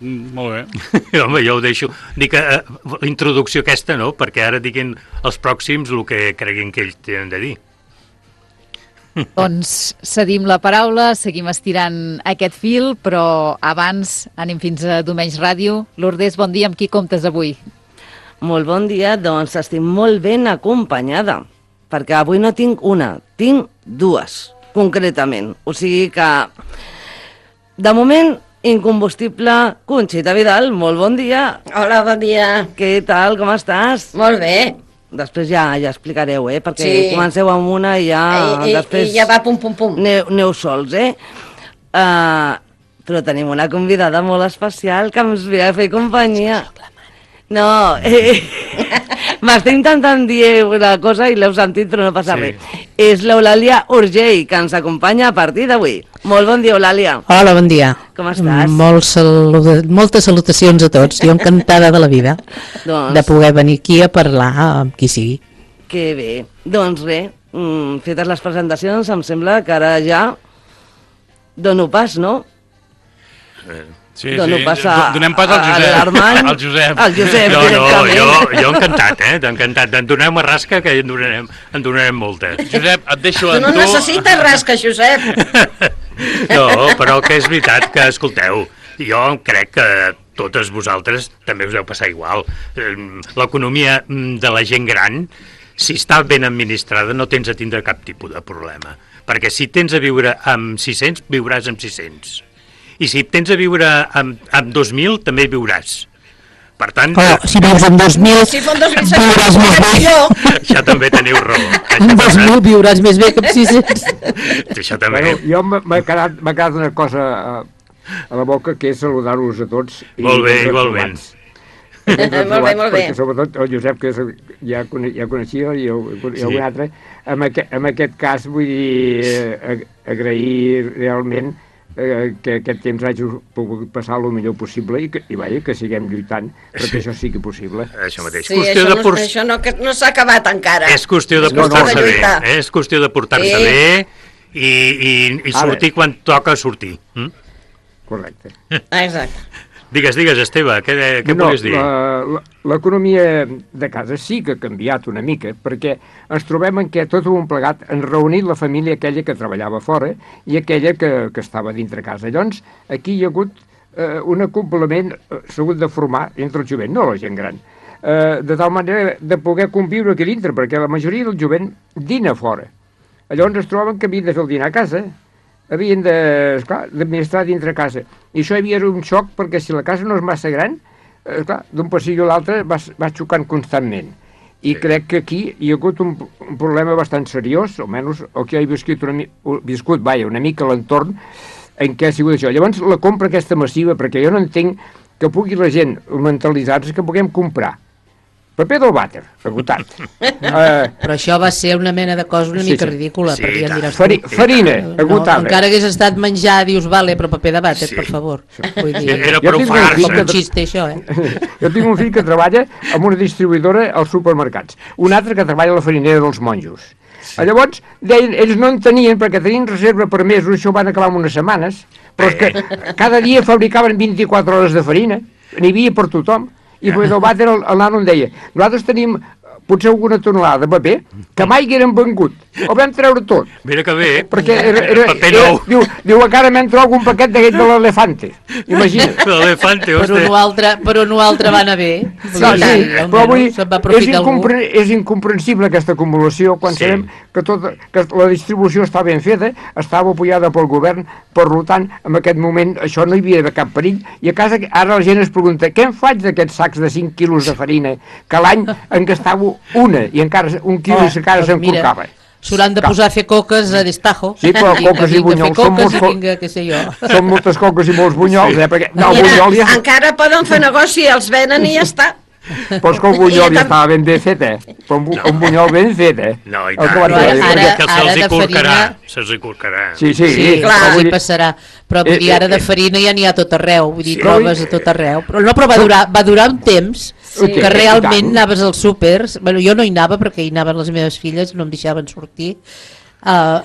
Mm, molt bé. Home, jo ho deixo. Dic uh, la introducció aquesta, no? Perquè ara diguin els pròxims el que creguin que ells tenen de dir. Doncs cedim la paraula, seguim estirant aquest fil, però abans anem fins a Domenys Ràdio. Lourdes, bon dia, amb qui comptes avui? Molt bon dia, doncs estic molt ben acompanyada, perquè avui no tinc una, tinc dues, concretament. O sigui que, de moment, incombustible Conxita Vidal, molt bon dia. Hola, bon dia. Què tal, com estàs? Molt bé. Després ja ja explicareu, eh? Perquè sí. Comenceu amb una i ja... I, i, després i ja va pum, pum, pum. Neu, neu sols, eh? Uh, però tenim una convidada molt especial que ens ve a fer companyia. No, eh, m'estic intentant dir una cosa i l'heu sentit, però no passa sí. res. És l'Eulàlia Urgell, que ens acompanya a partir d'avui. Molt bon dia, Eulàlia. Hola, bon dia. Com estàs? Molt saluda... Moltes salutacions a tots. Jo encantada de la vida doncs... de poder venir aquí a parlar amb qui sigui. Que bé. Doncs res, mm, fetes les presentacions, em sembla que ara ja dono pas, no? Eh. Sí, Dono sí, pas a, donem pas al Josep. Al Josep. Al Josep, no, no, jo, jo encantat, eh? Encantat. En donem una rasca que en donarem, en donarem molta. Josep, et deixo tu en no tu... no necessites rasca, Josep. No, però que és veritat que, escolteu, jo crec que totes vosaltres també us deu passar igual. L'economia de la gent gran, si està ben administrada, no tens a tindre cap tipus de problema. Perquè si tens a viure amb sis-cents, viuràs amb sis-cents. I si tens a viure amb, amb dos mil, també viuràs. Per tant... Oh, si vius amb dos mil, si dos mil viuràs més bé. Ja també teniu raó. Amb dos mil viuràs més bé que amb sis-cents. Això també. Bueno, jo m'ha quedat, quedat una cosa a, a la boca, que és saludar-vos a tots. I molt bé, igualment. Molt bé, molt bé. Perquè sobretot el Josep, que és, ja, ja coneixia, i el, i algun altre, en, aquest, en aquest cas vull dir, eh, agrair realment eh, que aquest temps hagi pogut passar el millor possible i, que, i vaja, que siguem lluitant perquè sí. Això sigui possible. Això mateix. Sí, això, de no, por... això no, que no s'ha acabat encara. És qüestió de portar-se bé, eh? És qüestió de portar-se sí. bé i, i, i sortir quan toca sortir. Mm? Correcte. Exacte. Digues, digues, Esteve, què, què no, volies dir? L'economia de casa sí que ha canviat una mica, perquè ens trobem en què tot un plegat ens reunit la família aquella que treballava fora i aquella que, que estava dintre casa. Llavors, aquí hi ha hagut eh, un acomplement, s'ha hagut de formar entre el jovent, no la gent gran, eh, de tal manera de poder conviure aquí dintre, perquè la majoria del jovent dina fora. Llavors es troben que havien de fer el dinar a casa, havien d'administrar dintre casa. I això hi havia un xoc, perquè si la casa no és massa gran, eh, d'un passillo a l'altre vas, vas xocant constantment. I crec que aquí hi ha hagut un, un problema bastant seriós, almenys el que he viscut una, viscut, vaja, una mica l'entorn en què ha sigut això. Llavors, la compra aquesta massiva, perquè jo no entenc que pugui la gent mentalitzar-se que puguem comprar paper del vàter, agotat. uh, Però això va ser una mena de cosa una sí, mica sí. ridícula. Sí, perquè ja diràs, Fari, farina, agotada. No, encara hagués estat menjar, dius, vale, però paper de vàter, sí. per favor. Vull dir, era per ofegar-se. Un xiste, això, eh? Jo tinc un fill que treballa amb una distribuïdora als supermercats, un altre que treballa a la farinera dels monjos. Sí. Llavors, deien, ells no en tenien perquè tenien reserva per mesos, això ho van acabar en unes setmanes, però és que cada dia fabricaven vint-i-quatre hores de farina, n'hi havia per tothom. I el del vàter, el, el nano em deia, nosaltres tenim potser alguna tonelada de paper que mai hagueren vengut. El vam treure tot. Mira que bé. Perquè era, era, paper era, nou. diu, diu, encara m'hem trobat algun paquet d'aquest de l'elefante. Imagina't. L'elefante, per un altre, per un altre va anar bé. Sí, sí, però vull dir, és, incompre és incomprensible aquesta acumulació quan sí. sabem que, tot, que la distribució està ben feta, estava apoyada pel govern, per tant, en aquest moment això no hi havia de cap perill, i a casa ara la gent es pregunta, què em faig d'aquests sacs de cinc quilos de farina, que l'any en gastava una, i encara un quilo oh, i encara s'encorcava. S'hauran de posar a fer coques a destajo. Sí, però coques i bunyols són molts... Vinga, que sé jo. Són moltes coques i molts bunyols, sí. eh? Perquè, no, Mira, bunyol ja... encara poden fer negoci, els venen i ja està. Però és que el bunyol ja estava ben bé fet, eh? Però un, un bunyol ben fet, eh? No, i tant. Ara, ara, que se'ls hi corcarà. Se'ls hi corcarà. Sí, sí. Sí, clar. Se'ls hi passarà. Però vull dir, ara de farina ja n'hi ha tot arreu. Vull dir, sí. trobes a tot arreu. Però no, però va durar, va durar un temps sí. que realment anaves als súpers. Bueno, jo no hi anava perquè hi anaven les meves filles, no em deixaven sortir. Uh,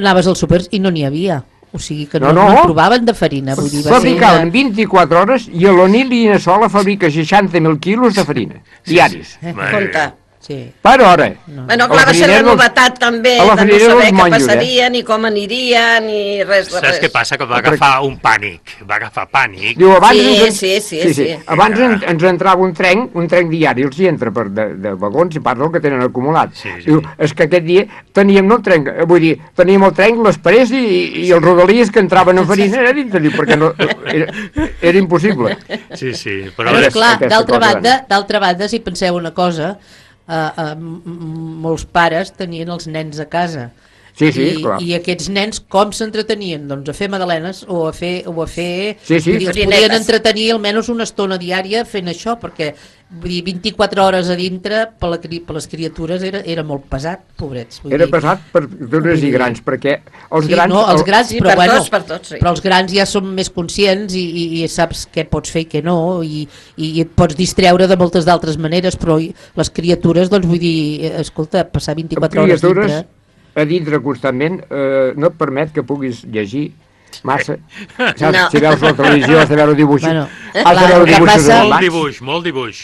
anaves als súpers i no n'hi havia. O sigui que no, no, no. no trobaven de farina. Vull dir, fabricaven una... vint-i-quatre hores i a l'Onil i a Sola fabrica seixanta mil quilos de farina, diaris. Eh, compte. Sí. Per hora. No. Bueno, clar, va ser la novetat també de no saber què passaria, ni com aniria, ni res de res. Saps què passa? Que va agafar un pànic, va agafar pànic. Diu, abans sí, ens, sí, sí, sí, sí. sí. Abans en, ens entrava un tren, un tren diari, els hi entra per de, de vagons i part del que tenen acumulat. Sí, sí. Diu, és que aquest dia teníem no el tren, vull dir, teníem el tren, les parets i, i els rodalies que entraven en farina era dintre, diu, perquè no, era, era impossible. Sí, sí. Però, però clar, d'altra banda, d'altra banda, si penseu una cosa, Uh, uh, molts pares tenien els nens a casa sí, sí, I, clar. i aquests nens com s'entretenien? Doncs a fer magdalenes o a fer, o a fer sí, sí. Dir, els podien entretenir almenys una estona diària fent això, perquè vull dir, vint-i-quatre hores a dintre per, la, per les criatures era, era molt pesat, pobrets. Vull era dir. pesat per dones i grans, perquè els sí, grans... No, els grans, sí, però, per bueno, tots, per tots, sí. però els grans ja són més conscients i, i, i saps què pots fer i què no, i, i et pots distreure de moltes d'altres maneres, però les criatures, doncs vull dir, escolta, passar vint-i-quatre hores dintre... a dintre constantment eh, no et permet que puguis llegir massa. Saps? No. Si veus la televisió has de veure dibuixos. Bueno, has de veure dibuixos passa... Molt dibuix, molt dibuix.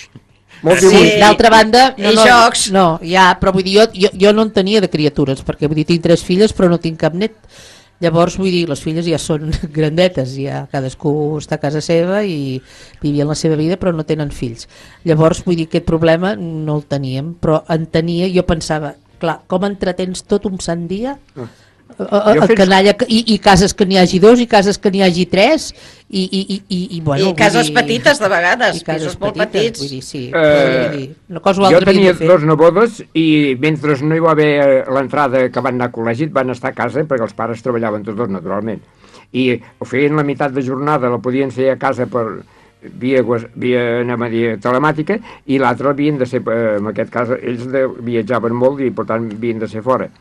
Molt dibuix. Sí, d'altra banda... No, I no, jocs. No, ja, però vull dir, jo, jo, jo no en tenia de criatures, perquè vull dir, tinc tres filles però no tinc cap net. Llavors, vull dir, les filles ja són grandetes, ja cadascú està a casa seva i vivien la seva vida però no tenen fills. Llavors, vull dir, aquest problema no el teníem, però en tenia, jo pensava, clar, com entretens tot un sant dia? Ah. Uh, uh, canalla, i, i cases que n'hi hagi dos i cases que n'hi hagi tres i, i, i, i, i, bueno, I cases dir, petites de vegades, pisos molt petits. Vull dir, sí, uh, vull dir, una cosa o jo altra tenia dos nebodes i mentre no hi va haver l'entrada que van anar a col·legi van estar a casa perquè els pares treballaven tots dos naturalment i ho feien la meitat de jornada, la podien fer a casa per via, via, anem a dir, telemàtica i l'altre havien de ser, en aquest cas ells de, viatjaven molt i per tant havien de ser fora.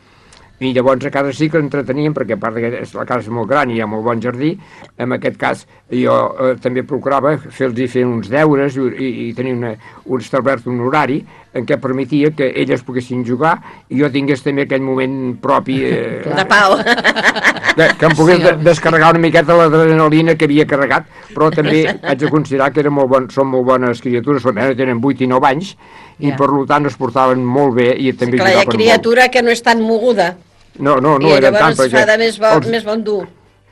I llavors a casa sí que entretenien, perquè a part que la casa és molt gran i hi ha molt bon jardí, en aquest cas jo eh, també procurava fer-los fer uns deures i, i, i tenir una, un establert un horari en què permetia que elles poguessin jugar i jo tingués també aquell moment propi eh, de pau de, que em pogués sí, de, descarregar una miqueta l'adrenalina que havia carregat, però també haig de considerar que eren molt bon, són molt bones criatures, almenys tenen vuit i nou anys i yeah. per tant es portaven molt bé i també sí, clar, jugaven molt. Hi ha criatura que no és tan moguda. No, no, no I era tant, perquè... I llavors fa de més bon, els, més bon dur.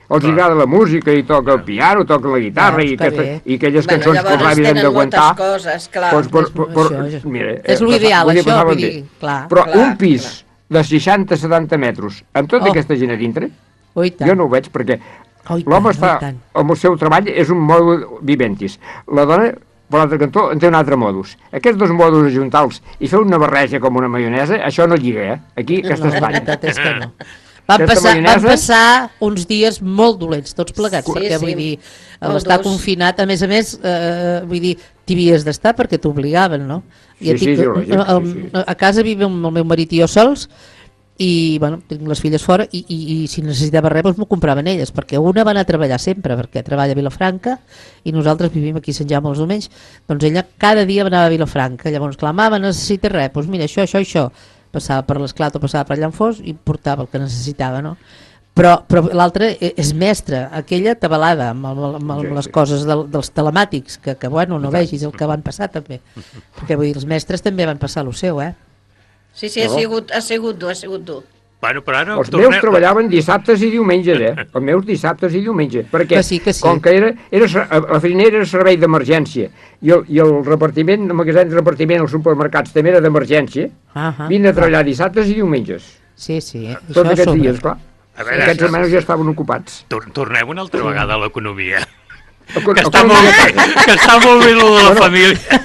Els agrada la música i toca el piano, toca la guitarra no, i, aquesta, i aquelles bueno, cançons que l'havien d'aguantar. Coses, clar. Doncs, per, per, per, això, mira, és l'ideal, això, vull dir, clar. Però clar, un pis clar. de seixanta a setanta metres, amb tota oh. aquesta gent a dintre, oh, jo no ho veig perquè l'home està, el seu treball és un mòdul viventis. La dona per l'altre cantó en té un altre modus. Aquests dos modus ajuntals i fer una barreja com una maionesa, això no lliga, eh? Aquí, aquesta No, la Espanya. veritat és que no. Van passar, van passar uns dies molt dolents, tots plegats, Sí, perquè sí, vull dir, molt l'estar durs. confinat, a més a més, eh, vull dir, t'hi havies d'estar perquè t'obligaven, no? Sí, et sí, dic, sí, lògic, eh, sí, sí. A casa vivim el meu marit i jo sols, i bueno, tinc les filles fora i, i, i si necessitava res doncs m'ho compraven elles, perquè una va anar a treballar sempre, perquè treballa a Vilafranca i nosaltres vivim aquí a Sant Jaume als Domenys, doncs ella cada dia anava a Vilafranca, llavors clar, mama, necessita res, doncs mira, això, això, això, passava per l'esclat o passava per allà en fos i portava el que necessitava, no? Però, però l'altra és mestra, aquella tabalada amb, amb, amb, amb les coses del, dels telemàtics, que, que bueno, no vegis el que van passar també, perquè vull dir, els mestres també van passar el seu, eh? Sí, sí, ha sigut, ha sigut dur, ha sigut dur. Bueno, però ara... Els meus treballaven dissabtes i diumenges, eh? Els meus dissabtes i diumenges. Perquè, que sí, que sí. com que era, era, la ferinera era servei d'emergència i, el, i el repartiment, el magatzem de repartiment als supermercats també era d'emergència, uh-huh. vine a treballar dissabtes i diumenges. Sí, sí. Tots aquests sobre. dies, clar. A veure, aquests almenys ja estaven ocupats. Tornem una altra vegada a l'economia. Que està, molt, que està molt bé lo de la família,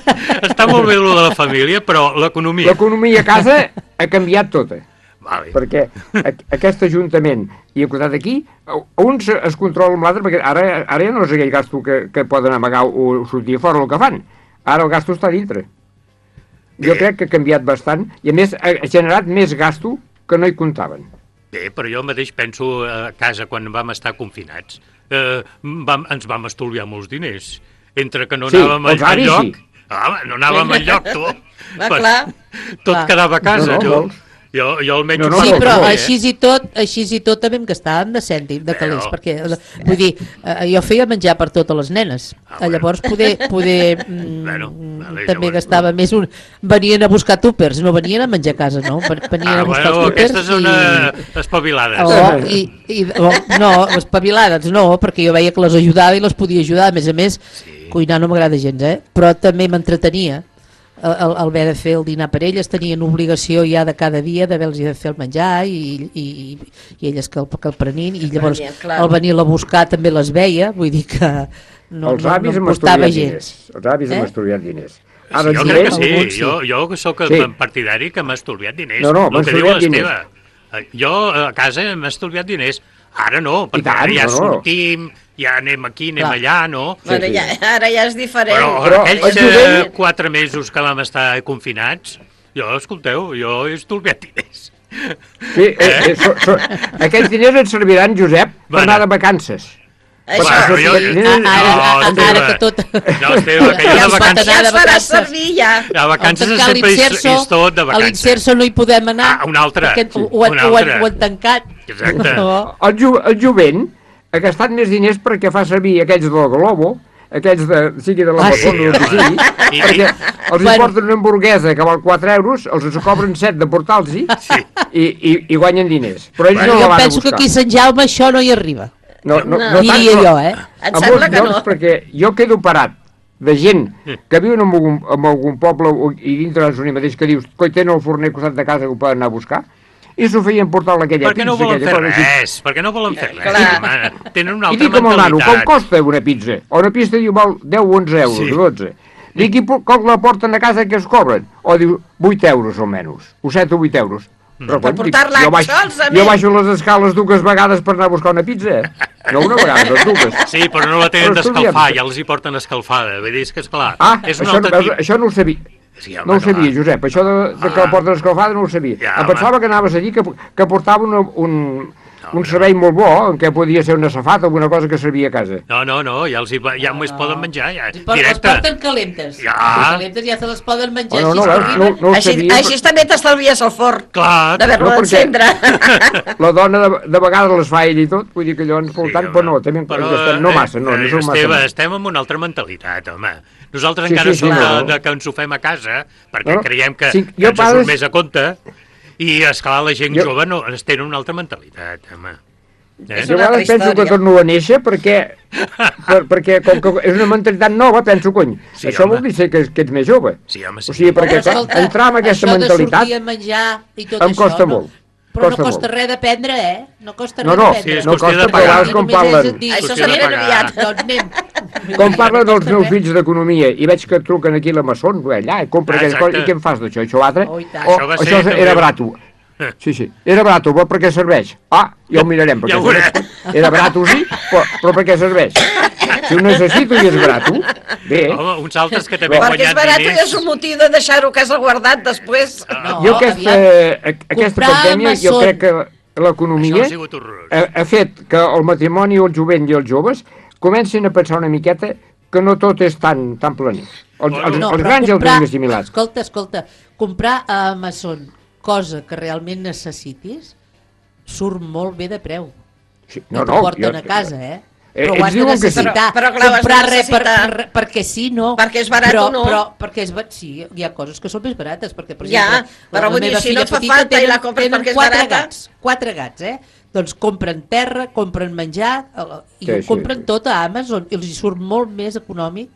està molt bé lo de la família, però l'economia... L'economia a casa ha canviat tota, vale. Perquè aquest ajuntament i el costat d'aquí, un es controla amb l'altre, perquè ara, ara ja no és aquell gasto que, que poden amagar o sortir fora el que fan, ara el gasto està dintre. Jo crec que ha canviat bastant i a més ha generat més gasto que no hi comptaven. Bé, però jo mateix penso a casa quan vam estar confinats. Eh, vam, ens vam estolviar molts diners entre que no sí, anàvem al lloc sí. ah, no anàvem al lloc tu Va, clar. tot clar. Quedava a casa no, no, jo, jo, jo almenys no, no, sí, però eh? així i tot així i tot també em gastàvem de cèntim de calés, però... perquè vull dir, eh, jo feia menjar per totes les nenes, ah, bueno. Llavors poder, poder mm, bueno, vale, també llavors, gastava no. més un... venien a buscar túpers, no venien a menjar a casa, no? Venien ah, a buscar bueno, els túpers aquestes són i... espavilades oh, i, i, oh, no, espavilades no, perquè jo veia que les ajudava i les podia ajudar, a més a més sí. Cuinar no m'agrada gens, eh? Però també m'entretenia el, el haver de fer el dinar per elles, tenien obligació ja de cada dia d'haver-los de fer el menjar i, i, i elles que el, que el prenien i llavors al venir-la a buscar també les veia, vull dir que no, els avis no, no em costava gens. Els avis eh? hem estalviat diners. Ara, sí, jo crec que sí, sí. Jo, jo soc sí. partidari que m'ha estalviat diners. No, no, el que diu l'Esteve. Jo a casa m'ha estalviat diners. Ara no, perquè tant, ara ja no, sortim, ja anem aquí, anem Clar. allà, no? Sí, sí. Ja, ara ja és diferent. Però, però aquells eh, quatre mesos que vam estar confinats, jo, escolteu, jo he estalviat diners. Sí, eh, eh, so, so, aquests diners et serviran, Josep, per bueno. anar de vacances. Això. Bueno, jo, jo, ara, ara, ara que tot... No, Esteve, que jo de vacances... Ja es farà servir, ja. A vacances sempre és tot de vacances. A l'Inserso no hi podem anar. Ah, un altre. Sí, ho, un altre. Ho, han, ho han tancat. Exacte. No. El, ju, el jovent ha gastat més diners perquè fa servir aquells del Globo, aquells de, sigui de la ah, sí, o que sigui, I, perquè els bueno. importen una hamburguesa que val quatre euros, els cobren set de portar-los-hi sí. i, i, i guanyen diners. Però ells bueno, no la van a buscar. Jo penso que aquí a Sant Jaume això no hi arriba. No, no, no, no diria tant, jo, eh? Em sembla que no. Perquè jo quedo parat de gent que viuen en algun, en algun poble i dintre de l'Uni mateix que dius coi, tenen el forner costat de casa que ho poden anar a buscar i s'ho feien portar aquella pizza. Per què no volen fer res? Per què no volen fer res? Clar. Tenen una altra mentalitat. I dic amb el nano, com costa una pizza? O una pizza diu val deu o onze euros, sí. dotze. Dic, com la porten a casa que es cobren? O diu vuit euros almenys, o set o vuit euros. Però, per portar-la jo, baixo, jo baixo les escales dues vegades per anar a buscar una pizza. No una vegada, dos dues. Sí, però no la tenen d'escalfar, ja els hi porten escalfada. Vull dir, és que esclar, ah, és un això, altre no, tip. Això no ho sabia. Sí, home, no ho sabia, Josep. Això de, de que la porten escalfada no ho sabia. Ja, em pensava que anaves allí que, que portava una, un... No, un servei no. molt bo, en què podia ser una safata o alguna cosa que servia a casa. No, no, no, ja els hi, ja no, no. poden menjar, ja, directe. Les porten calentes. Ja. Les calentes ja se les poden menjar oh, no, així. No, no, no així, sabia, així però... també t'estalvies el forn. Clar. D'haver-lo no, d'encendre. La dona de, de vegades les fa ell i tot, vull dir que allò ens faltant, sí, però no, també però, estem, no massa, no, eh, no som massa. Esteve, estem en una altra mentalitat, home. Nosaltres sí, encara sí, som sí, no. de que ens ho fem a casa, perquè no, creiem que, sí, que ens pares... surt més a compte, i esclar, la gent jo... jove no, es tenen una altra mentalitat, home. Eh? Jo a vegades penso que torno a néixer perquè, per, perquè com que és una mentalitat nova, penso, cony, sí, això home. Vol dir ser que, que ets més jove. Sí, home, sí. O sigui, perquè clar, entrar en aquesta mentalitat això de sortir a menjar i tot em costa això, molt. No? Però costa no costa molt. res d'aprendre, eh? No costa no, res no, d'aprendre. Sí, no costa, però a vegades com parlen. Això s'ha de pagar. Doncs anem. Com parlen els meus fills d'economia i veig que truquen aquí a la Maçon, allà, i compra aquelles coses, i què em fas d'això? Això altre? Oh, Oh, això era barato. Sí, sí, era barato, però per què serveix? Ah, ja ho mirarem. Ja ho veurem. Era barato, sí, però, però per què serveix? Si ho necessito i és barato, bé. Home, uns altres que també han Perquè és guanyat barat i diners. és un motiu de deixar-ho a casa guardat després. No, Jo aquesta, aquesta comprar pandèmia, jo Amazon. crec que l'economia Això ha sigut horrorós. ha, ha fet que el matrimoni, el jovent i els joves comencin a pensar una miqueta que no tot és tan, tan planer. Els, els, No, els però grans i els comprar- tinguin assimilats. Escolta, escolta, comprar a Amazon cosa que realment necessitis surt molt bé de preu. Sí, no no, t'ho no, porten jo- a casa, eh? Eh, Però ho ells has de diuen que sí. necessitar. Però, però clar, ho has de comprar res per, necessitar. per, perquè sí, no. Perquè és barat però, o no. Però, perquè és, ba- sí, hi ha coses que són més barates. Perquè, per Ja, exemple, però la vull dir, meva si filla no et fa petita falta i tenen- la compres tenen perquè és quatre barata. Gats, quatre gats, eh? Doncs compren terra, compren menjar eh, i Sí, ho sí, compren sí. tot a Amazon i els hi surt molt més econòmic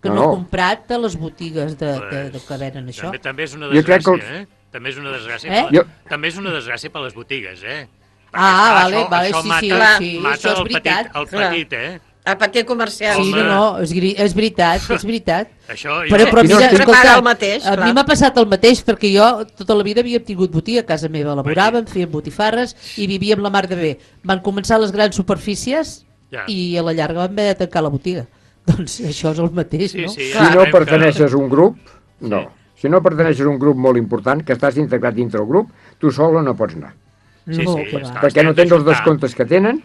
que no, No, no. comprat a les botigues de, de, de que venen això. També, també és una Jo crec que desgràcia, eh? També és una desgràcia, Eh? per, Jo- també és una desgràcia per les botigues, eh? Perquè, Ah, clar, vale, això, vale, això sí, mata, sí, Clar. sí, mata això és el veritat. petit, el Clar. petit, eh? El petit comercial. Sí, no, no, és, gri- és veritat, és veritat. Això, jo- Però, però I no mira, estic- escolta, paga el mateix, a clar. mi m'ha passat el mateix perquè jo tota la vida havia tingut botiga a casa meva, elaboràvem, fèiem botifarres i vivíem la mar de bé. Van començar les grans superfícies Ja. i a la llarga vam haver de tancar la botiga. Doncs això és el mateix, Sí, no? sí, Si ja no sabem perteneixes a un grup, no. Si no perteneixes a un grup molt important, que estàs integrat dintre el grup, tu sol no pots anar. Sí, No, sí, que va. està. Perquè no tens els d'ajuntar. descomptes que tenen,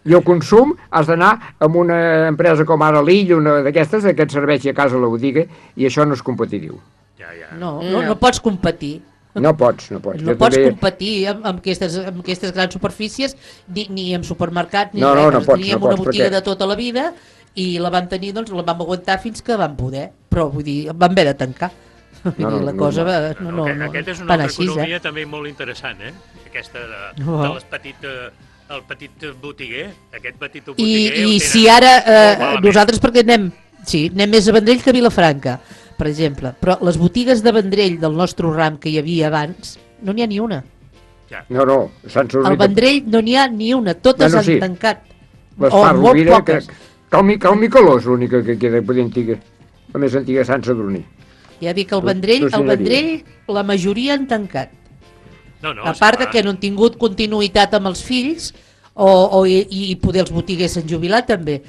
i el consum has d'anar amb una empresa com ara l'Ill, una d'aquestes, que et serveixi a casa a la botiga, i això no és competitiu. Ja, ja. No, no, no pots competir. No pots, no pots. No Jo pots també- competir amb, amb, aquestes, amb aquestes grans superfícies ni, ni amb supermercats ni No, no, res. no Nosaltres pots, teníem no una pots, botiga perquè- de tota la vida i la vam tenir, doncs la vam aguantar fins que vam poder, però vull dir, vam haver de tancar. Vull No, dir, no, la no, cosa no. va, no, no, Aquest, no, aquest és una va altra anar així, economia eh? també molt interessant, eh? Aquesta de, Oh. de les petit, eh, el petit botiguer, aquest petit I, botiguer... ho i tenen si ara molt eh, malament. nosaltres perquè anem, sí, anem més a Vendrell que a Vilafranca, per exemple, però les botigues de Vendrell del nostre ram que hi havia abans, no n'hi ha ni una. No, no, s'han Al sortit... Vendrell no n'hi ha ni una, totes Bueno, han sí. tancat. Les O Far molt Rovira, que, poques. Cal, Mi- Cal Micoló és l'única que queda per antiga, la més antiga Sant Sadurní. Ja dic, el Vendrell, el L'ocineria. Vendrell, la majoria han tancat. No, no, A part de esclar. que no han tingut continuïtat amb els fills o, o i, i poder els botiguers s'han jubilat també.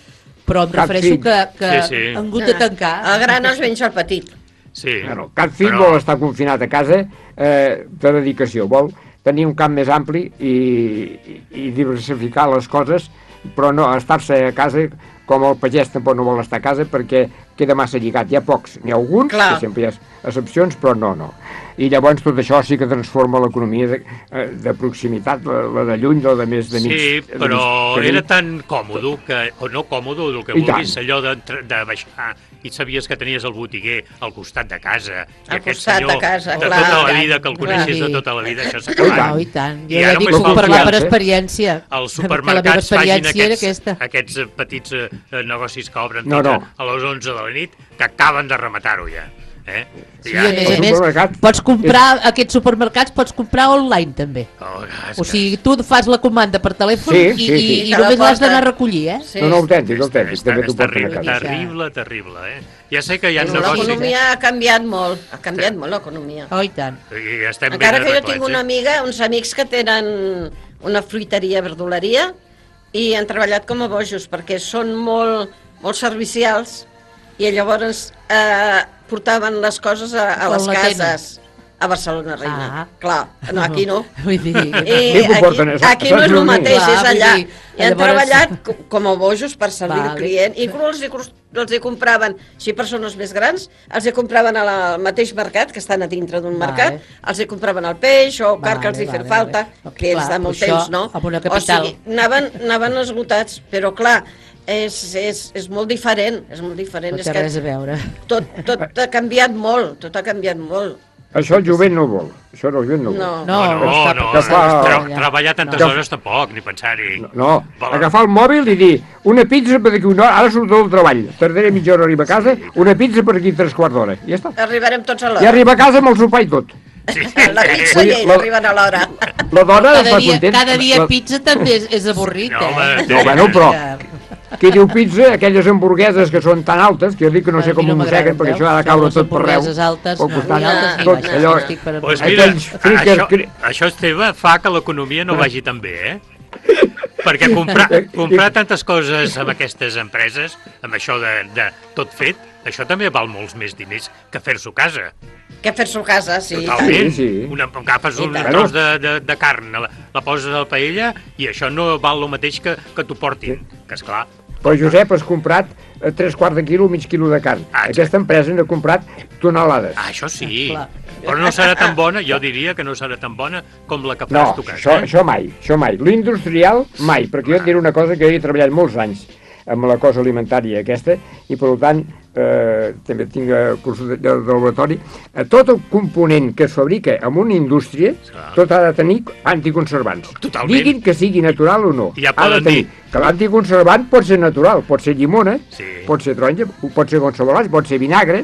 Però em Cap refereixo fill. que, que Sí, sí. han hagut de tancar. El gran es menja el petit. Sí, Bueno, cap fill però- vol estar confinat a casa eh, de dedicació, vol tenir un camp més ampli i, i, i diversificar les coses, però no estar-se a casa com el pagès tampoc no vol estar a casa perquè queda massa lligat. Hi ha pocs, n'hi ha alguns, Clar. que sempre hi ha excepcions, però no, no. I llavors tot això sí que transforma l'economia de, eh, de proximitat, la, la de lluny, la de més de mig. Sí, de però mig- era tan còmode, que, o no còmode, el que I vulguis, tant. allò de, de baixar i sabies que tenies el botiguer al costat de casa. I Al aquest costat de senyor casa, de clar. tota la vida, que el Clar. coneixes de Sí. tota la vida, això s'ha No, acabat. i tant. Jo I ja ara dic, només puc falta parlar per confiança. experiència. Els Que la meva supermercats facin experiència era aquests, aquesta. aquests eh, petits eh, negocis que obren No, tots no. a les onze de la nit, que acaben de rematar-ho ja. Eh? Sí, a més a El més, supermercat pots comprar, aquests supermercats pots comprar online també. Oh, és O que- sigui, tu fas la comanda per telèfon Sí, i, sí, sí. i, i Te la només l'has porten. d'anar a recollir, eh? Sí. No, no, autèntic, és, autèntic, és, també t'ho és porten a terrible, casa. terrible, terrible, eh? Ja sé que hi ha Però negocis... l'economia ha canviat molt, ha canviat molt l'economia. Oh, i tant. I estem Encara ben que jo arreglats, tinc una eh? amiga, uns amics que tenen una fruiteria, verduleria, i han treballat com a bojos, perquè són molt, molt servicials, i llavors eh, portaven les coses a, a On les la tenen? cases. A Barcelona, Reina. Ah. Clar, no, aquí no. Vull dir... I Sí que ho aquí, porten a- aquí no és el Clar, mateix, és vull allà. dir, I han llavors- treballat co- com a bojos per servir Vale. el client. I els hi, cos- els hi compraven, si persones més grans, els hi compraven a la- al mateix mercat, que estan a dintre d'un Vale. mercat, els hi compraven el peix o car que Vale, els hi fer vale, falta, vale. clients Clar, de molt això temps, no? amb una O capital. sigui, anaven, anaven esgotats, però clar, és, és, és molt diferent, és molt diferent. No és té que res a veure. tot, tot ha canviat molt, tot ha canviat molt. Això el jovent no ho vol. Això el jovent no ho vol. No. No, no, està- no, que fa- tra treballar tantes No. hores tampoc, ni pensar-hi. No, Volen- agafar el mòbil i dir una pizza per d'aquí una hora, ara surto del treball, tardaré mitja hora a arribar a casa, una pizza per aquí tres quarts d'hora, i ja està. Arribarem tots a I l'hora. arriba a casa amb el sopar i tot. La pizza Vull i dir, ell la- arriben a l'hora. La dona Cada està dia, content. cada dia La- pizza també és, és avorrit, No, eh? home, No, bueno, però- Que- Qui diu pizza? Aquelles hamburgueses que són tan altes, que jo dic que no sé com ho mosseguen, perquè això ha de caure tot per arreu. Altes, al costat, ni altes ni tot baixes, allò, estic per- Pues mira, aquells friques... això, això, Esteve, fa que l'economia no vagi tan bé, eh? Perquè comprar, comprar tantes coses amb aquestes empreses, amb això de, de tot fet, això també val molts més diners que fer-s'ho a casa. Que fer-s'ho a casa, sí. Totalment. Sí, sí. Una, agafes un I tant. tros de, de, de carn, la, la poses a la paella i això no val el mateix que, que t'ho portin, que esclar. Però Josep, has comprat eh, tres quarts de quilo, mig quilo de carn. Ah, Aquesta empresa n'ha comprat tonelades. Ah, això sí. Però no serà tan bona, jo diria que no serà tan bona com la que No, faràs tu a casa. això, eh? això mai, això mai. L'industrial, mai, perquè jo et diré una cosa que he treballat molts anys amb la cosa alimentària aquesta, i per tant, eh, també tinc eh, cursos de, de, de laboratori, eh, tot el component que es fabrica en una indústria, tot ha de tenir anticonservants. Totalment. Diguin que sigui natural o no. Ja ha de poden tenir. dir. Que l'anticonservant pot ser natural, pot ser llimona, Sí. pot ser taronja, pot ser qualsevol altre, pot ser vinagre,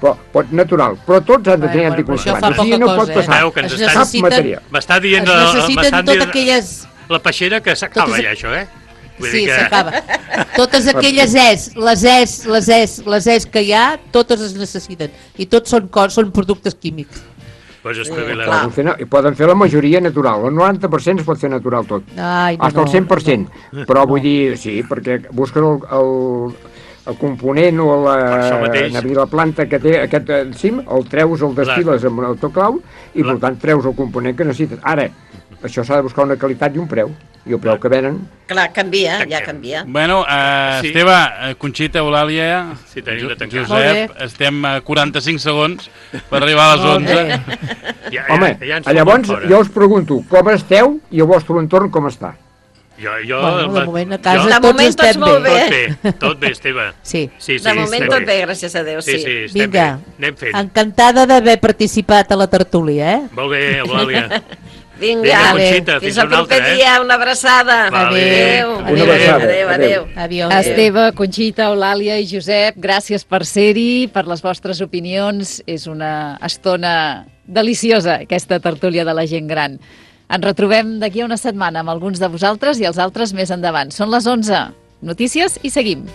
però pot natural, però tots han de tenir Bueno, bueno, però això anticonservants. fa O sigui, poca no pot cosa, eh? passar Veu que ens Es estan- cap necessiten- material. M'està dient... Es el- necessiten m'estan totes dient aquelles... La peixera que s'acaba Totes- ja, això, eh? Vull Sí, dir que... s'acaba. Totes aquelles es, les es, les es, les es que hi ha, totes es necessiten. I tots són, cos, són productes químics. Pues Eh, espavila. Poden fer, i poden fer la majoria natural, el noranta per cent es pot fer natural tot, Ai, no, hasta el no, cent per cent, però vull dir, sí, perquè busquen el, el, el component o Per això la, mateix. la, la planta que té aquest enzim, el treus, el destil·les amb un autoclau i per tant treus el component que necessites. Ara, això s'ha de buscar una qualitat i un preu, i el preu que venen... Clar, canvia, ja canvia. Bueno, uh, Sí. Esteve, eh, Conxita, Eulàlia, Sí, tenim de tancar. Josep, estem a quaranta-cinc segons per arribar a les Molt onze. bé. Ja, Home, ja, ja ens llavors foten fora. jo us pregunto, com esteu i el vostre entorn com està? Jo, jo, Bueno, de moment a casa jo, De tots moment tots estem molt bé. Tot bé, tot bé, Esteve. Sí. Sí, sí, De moment estem tot bé, gràcies a Déu, Sí, sí. sí, estem Vinga, bé. Anem fent. encantada d'haver participat a la tertúlia, eh? Molt bé, Eulàlia. Vinga, Vinga, Vale. Conxita, fins fins al una proper altra, eh? dia, una abraçada. Vale. Adéu. Una Adéu, abraçada. adéu, adéu. Adiós. Esteve, Conxita, Eulàlia i Josep, gràcies per ser-hi, per les vostres opinions. És una estona deliciosa, aquesta tertúlia de la gent gran. Ens retrobem d'aquí a una setmana amb alguns de vosaltres i els altres més endavant. Són les onze. Notícies i seguim.